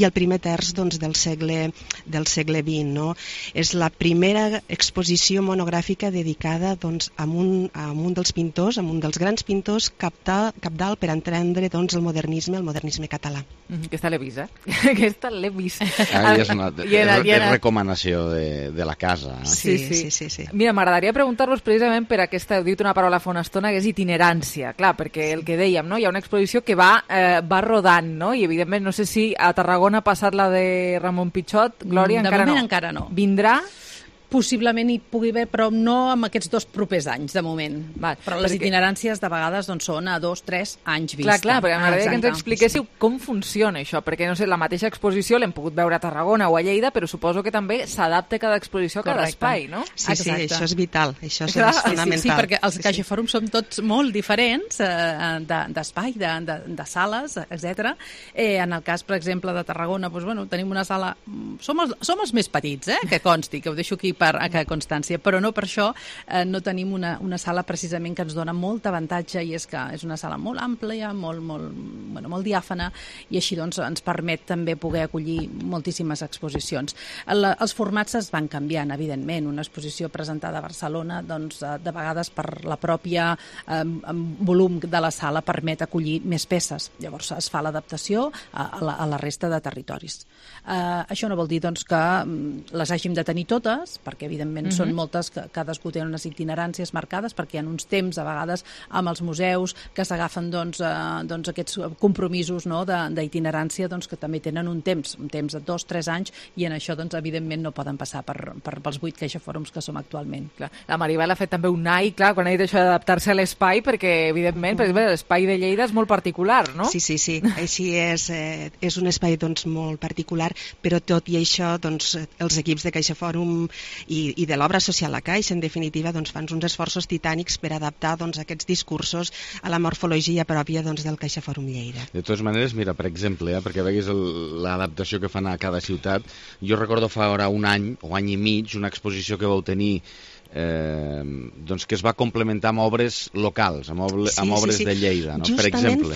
el primer terç doncs, del segle XX. No? És la primera exposició monogràfica dedicada doncs, a un dels pintors, a un dels grans pintors capdalt per entendre doncs, el modernisme català. Aquesta l'he vist, Aquesta l'he vist. És una recomanació de la casa. Sí. Mira, m'agradaria preguntar-vos precisament per aquesta, heu dit una paraula fa una estona, que és itinerància. Clar, perquè el que dèiem, no? Hi ha una exposició que va rodant, no? I evidentment, no sé si a Tarragona ha passat la de Ramon Pichot, Glòria, encara no. Vindrà? Possiblement hi pugui haver, però no en aquests 2 propers anys, de moment. Però les itineràncies de vegades doncs, són a 2-3 anys vista. Clar, perquè m'agradaria que ens expliquéssiu com funciona això, perquè no sé, la mateixa exposició l'hem pogut veure a Tarragona o a Lleida, però suposo que també s'adapta cada exposició a cada espai, no? Sí, això és vital, això és fonamental. Sí, perquè els CaixaForum som tots molt diferents d'espai, de sales, etc. En el cas, per exemple, de Tarragona, tenim una sala... Som els més petits, que consti, que ho deixo aquí a constància, però no per això no tenim una sala precisament que ens dona molt avantatge, i és que és una sala molt àmplia, molt diàfana, i així doncs ens permet també poder acollir moltíssimes exposicions. Els formats es van canviant, evidentment. Una exposició presentada a Barcelona, doncs, de vegades per la pròpia volum de la sala permet acollir més peces. Llavors es fa l'adaptació a la resta de territoris. Això no vol dir doncs, que les hàgim de tenir totes, perquè evidentment són moltes, que cadascú té unes itineràncies marcades, perquè hi ha uns temps a vegades amb els museus que s'agafen doncs, aquests compromisos d'itinerància que també tenen un temps de 2-3 anys, i en això doncs, evidentment no poden passar pels 8 CaixaForums que som actualment. Clar. La Maribel ha fet també un AI, clar, quan ha dit això d'adaptar-se a l'espai, perquè evidentment per exemple, l'espai de Lleida és molt particular, no? Sí, així és un espai doncs, molt particular, però tot i això doncs, els equips de CaixaForum i de l'obra social a Caixa, en definitiva, doncs, fan uns esforços titànics per adaptar doncs, aquests discursos a la morfologia pròpia doncs, del CaixaForum Lleida. De totes maneres, mira, per exemple, perquè veguis l'adaptació que fan a cada ciutat, jo recordo fa ara un any o any i mig una exposició que vau tenir doncs que es va complementar amb obres locals, amb obres de Lleida, no? Per exemple.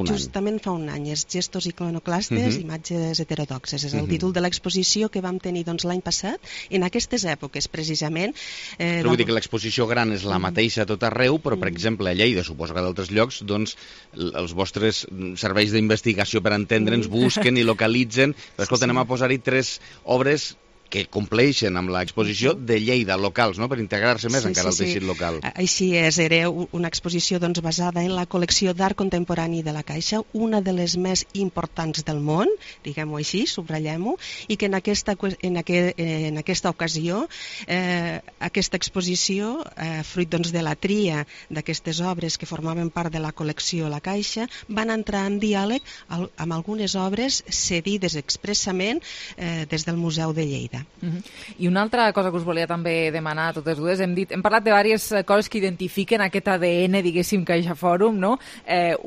Justament fa un any. És Gestos iconoclastes, imatges heterodoxes. És el títol de l'exposició que vam tenir l'any passat, en aquestes èpoques, precisament. Però vull dir que l'exposició gran és la mateixa a tot arreu, però, per exemple, a Lleida, suposo que d'altres llocs, doncs, els vostres serveis d'investigació per entendre'ns busquen i localitzen. Però, escolta, anem a posar-hi 3 obres que compleixen amb l'exposició de Lleida, locals, no? Per integrar-se més encara al teixit local. Així és, era una exposició basada en la col·lecció d'art contemporani de la Caixa, una de les més importants del món, diguem-ho així, subratllem-ho, i que en aquesta ocasió, aquesta exposició, fruit de la tria d'aquestes obres que formaven part de la col·lecció La Caixa, van entrar en diàleg amb algunes obres cedides expressament des del Museu de Lleida. I una altra cosa que us volia també demanar a totes dues, hem parlat de diverses coses que identifiquen aquest ADN, diguéssim, CaixaForum, no?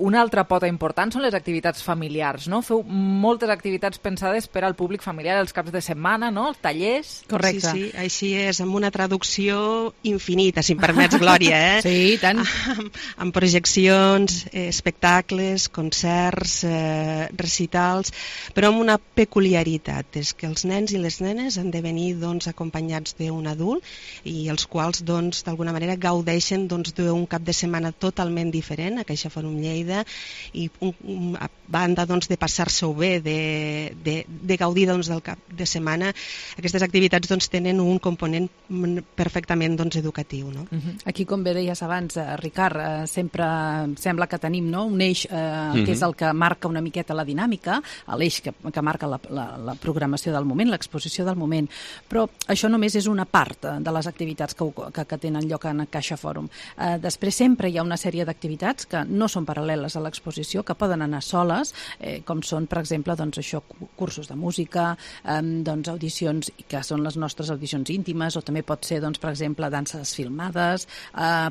Una altra pota important són les activitats familiars, no? Feu moltes activitats pensades per al públic familiar, els caps de setmana, no? Els tallers. Correcte. Sí, així és, amb una traducció infinita, si em permets, Glòria, Sí, tant. Amb projeccions, espectacles, concerts, recitals, però amb una peculiaritat, és que els nens i les nenes han de venir acompanyats d'un adult i els quals d'alguna manera gaudeixen d'un cap de setmana totalment diferent a CaixaForum Lleida i a banda de passar-se-ho bé, de gaudir del cap de setmana, aquestes activitats tenen un component perfectament educatiu. No? Aquí, com bé deies abans, Ricard, sempre sembla que tenim un eix que és el que marca una miqueta la dinàmica, l'eix que marca la programació del moment, l'exposició del moment, però això només és una part de les activitats que tenen lloc en CaixaForum. Després sempre hi ha una sèrie d'activitats que no són paral·leles a l'exposició, que poden anar soles, com són, per exemple, cursos de música, audicions que són les nostres audicions íntimes, o també pot ser, per exemple, danses filmades,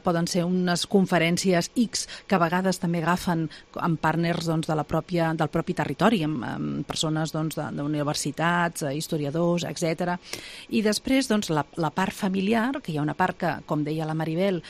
poden ser unes conferències X que a vegades també agafen amb partners del propi territori, amb persones d'universitats, historiadors, etc. I després, la part familiar, que hi ha una part que, com deia la Maribel,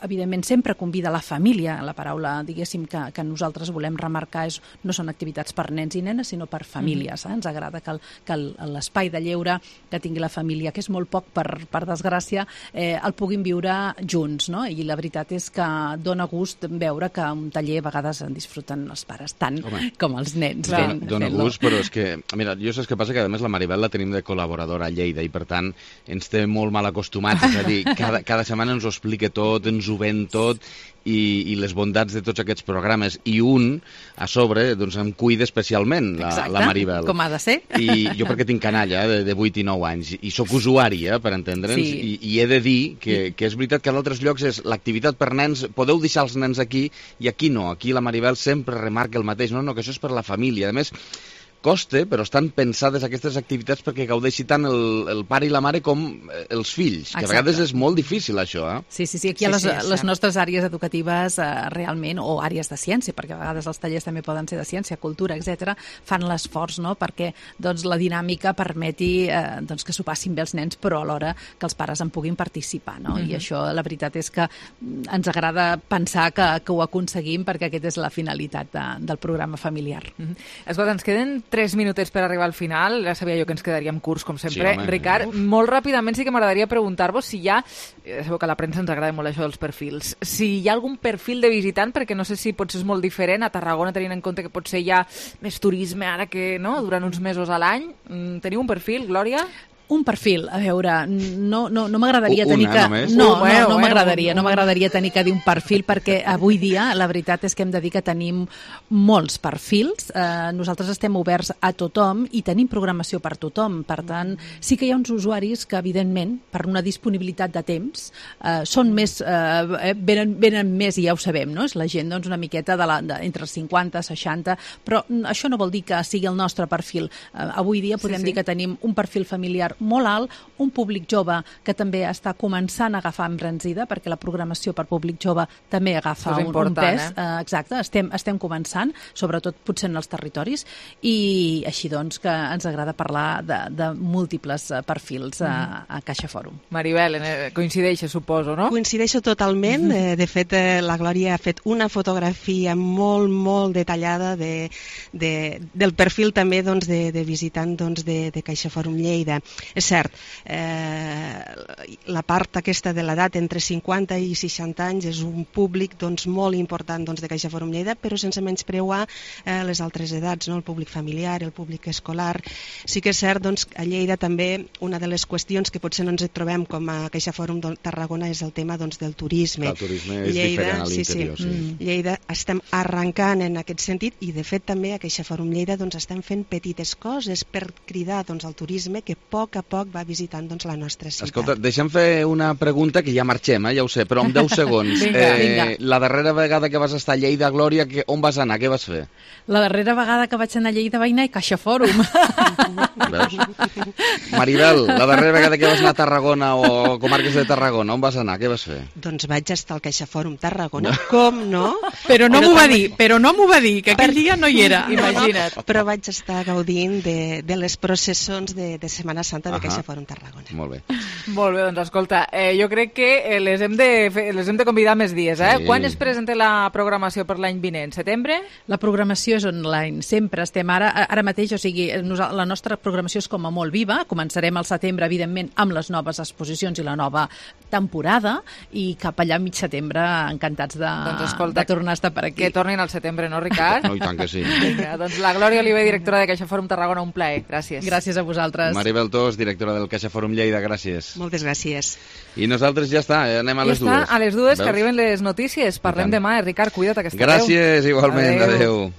evidentment sempre convida la família. La paraula, diguéssim, que nosaltres volem remarcar no són activitats per nens i nenes, sinó per famílies. Ens agrada que l'espai de lleure que tingui la família, que és molt poc, per desgràcia, el puguin viure junts, no? I la veritat és que dona gust veure que un taller a vegades en disfruten els pares tant com els nens. Dona gust, però és que, mira, jo saps què passa? Que a més la Maribel la tenim de col·laboradora a Lleida i per tant ens té molt mal acostumats, és a dir, cada setmana ens ho explica tot, ens ho ven tot i les bondats de tots aquests programes, i a sobre em cuida especialment la Maribel. Com ha de ser. I jo perquè tinc canalla de 8 i 9 anys i sóc usuari, per entendre'ns, i he de dir que és veritat que a altres llocs és l'activitat per nens, podeu deixar els nens aquí i aquí no, aquí la Maribel sempre remarca el mateix, no, que això és per la família. A més, costa, però estan pensades aquestes activitats perquè gaudeixi tant el pare i la mare com els fills, que a vegades és molt difícil això. Sí, aquí hi ha les nostres àrees educatives realment, o àrees de ciència, perquè a vegades els tallers també poden ser de ciència, cultura, etc., fan l'esforç perquè la dinàmica permeti que s'ho passin bé els nens, però alhora que els pares en puguin participar. I això, la veritat és que ens agrada pensar que ho aconseguim, perquè aquesta és la finalitat del programa familiar. Escolta, ens queden 3 minutets per arribar al final. Ja sabia jo que ens quedaríem curts, com sempre. Sí, Ricard, molt ràpidament sí que m'agradaria preguntar-vos si hi ha, sabeu que a la premsa ens agrada molt això dels perfils, si hi ha algun perfil de visitant, perquè no sé si potser és molt diferent a Tarragona, tenint en compte que potser hi ha més turisme ara que durant uns mesos a l'any. Teniu un perfil, Glòria? Un perfil, a veure, no m'agradaria tenir que... No m'agradaria tenir que dir un perfil, perquè avui dia la veritat és que hem de dir que tenim molts perfils. Nosaltres estem oberts a tothom i tenim programació per tothom. Per tant, sí que hi ha uns usuaris que, evidentment, per una disponibilitat de temps, són més... venen més, i ja ho sabem, no? És la gent una miqueta entre els 50 i 60, però això no vol dir que sigui el nostre perfil. Avui dia podem dir que tenim un perfil familiar molt alt, un públic jove que també està començant a agafar embranzida, perquè la programació per públic jove també agafa un pes. Exacte, estem començant, sobretot potser en els territoris, i així doncs que ens agrada parlar de múltiples perfils a Caixa Fòrum. Maribel, coincideixes, suposo, no? Coincideixo totalment. De fet, la Glòria ha fet una fotografia molt, molt detallada del perfil també de visitant de Caixa Fòrum Lleida. És cert, la part aquesta de l'edat entre 50 i 60 anys és un públic molt important de Caixa Fòrum Lleida, però sense menyspreuar les altres edats, el públic familiar, el públic escolar. Sí que és cert a Lleida també una de les qüestions que potser no ens trobem com a Caixa Fòrum de Tarragona és el tema del turisme. El turisme és diferent a l'interior. Sí. Lleida estem arrencant en aquest sentit i de fet també a Caixa Fòrum Lleida estem fent petites coses per cridar al turisme que a poc va visitant la nostra ciutat. Escolta, deixa'm fer una pregunta que ja marxem, ja ho sé, però en 10 segons. Vinga. La darrera vegada que vas estar a Lleida, Glòria, on vas anar? Què vas fer? La darrera vegada que vaig anar a Lleida vaig anar a Caixa Fòrum. Veus? Maribel, la darrera vegada que vas anar a Tarragona o comarques de Tarragona, on vas anar? Què vas fer? Doncs vaig estar al Caixa Fòrum Tarragona, com no? Però no m'ho va dir, que aquell dia no hi era. Imagina't. Però vaig estar gaudint de les processons de Setmana Santa de Caixa Fòrum Tarragona. Molt bé. Molt bé, doncs escolta, jo crec que les hem de convidar més dies, eh? Sí. Quan es presenta la programació per l'any vinent? Setembre? La programació és online, sempre estem ara mateix, o sigui, la nostra programació és com a molt viva, començarem al setembre, evidentment, amb les noves exposicions i la nova temporada, i cap allà mig setembre encantats de tornar a estar per aquí. Que tornin al setembre, no, Ricard? No, i tant que sí. Vinga, doncs la Glòria Oliver, directora de Caixa Fòrum Tarragona, un plaer. Gràcies. Gràcies a vosaltres. Maribel Tos, directora del Caixa Fòrum Lleida, gràcies. Moltes gràcies. I nosaltres ja està, anem a les dues. Ja està, a les dues, que arriben les notícies. Parlem demà, Ricard, cuida't, que estareu. Gràcies, igualment, adeu.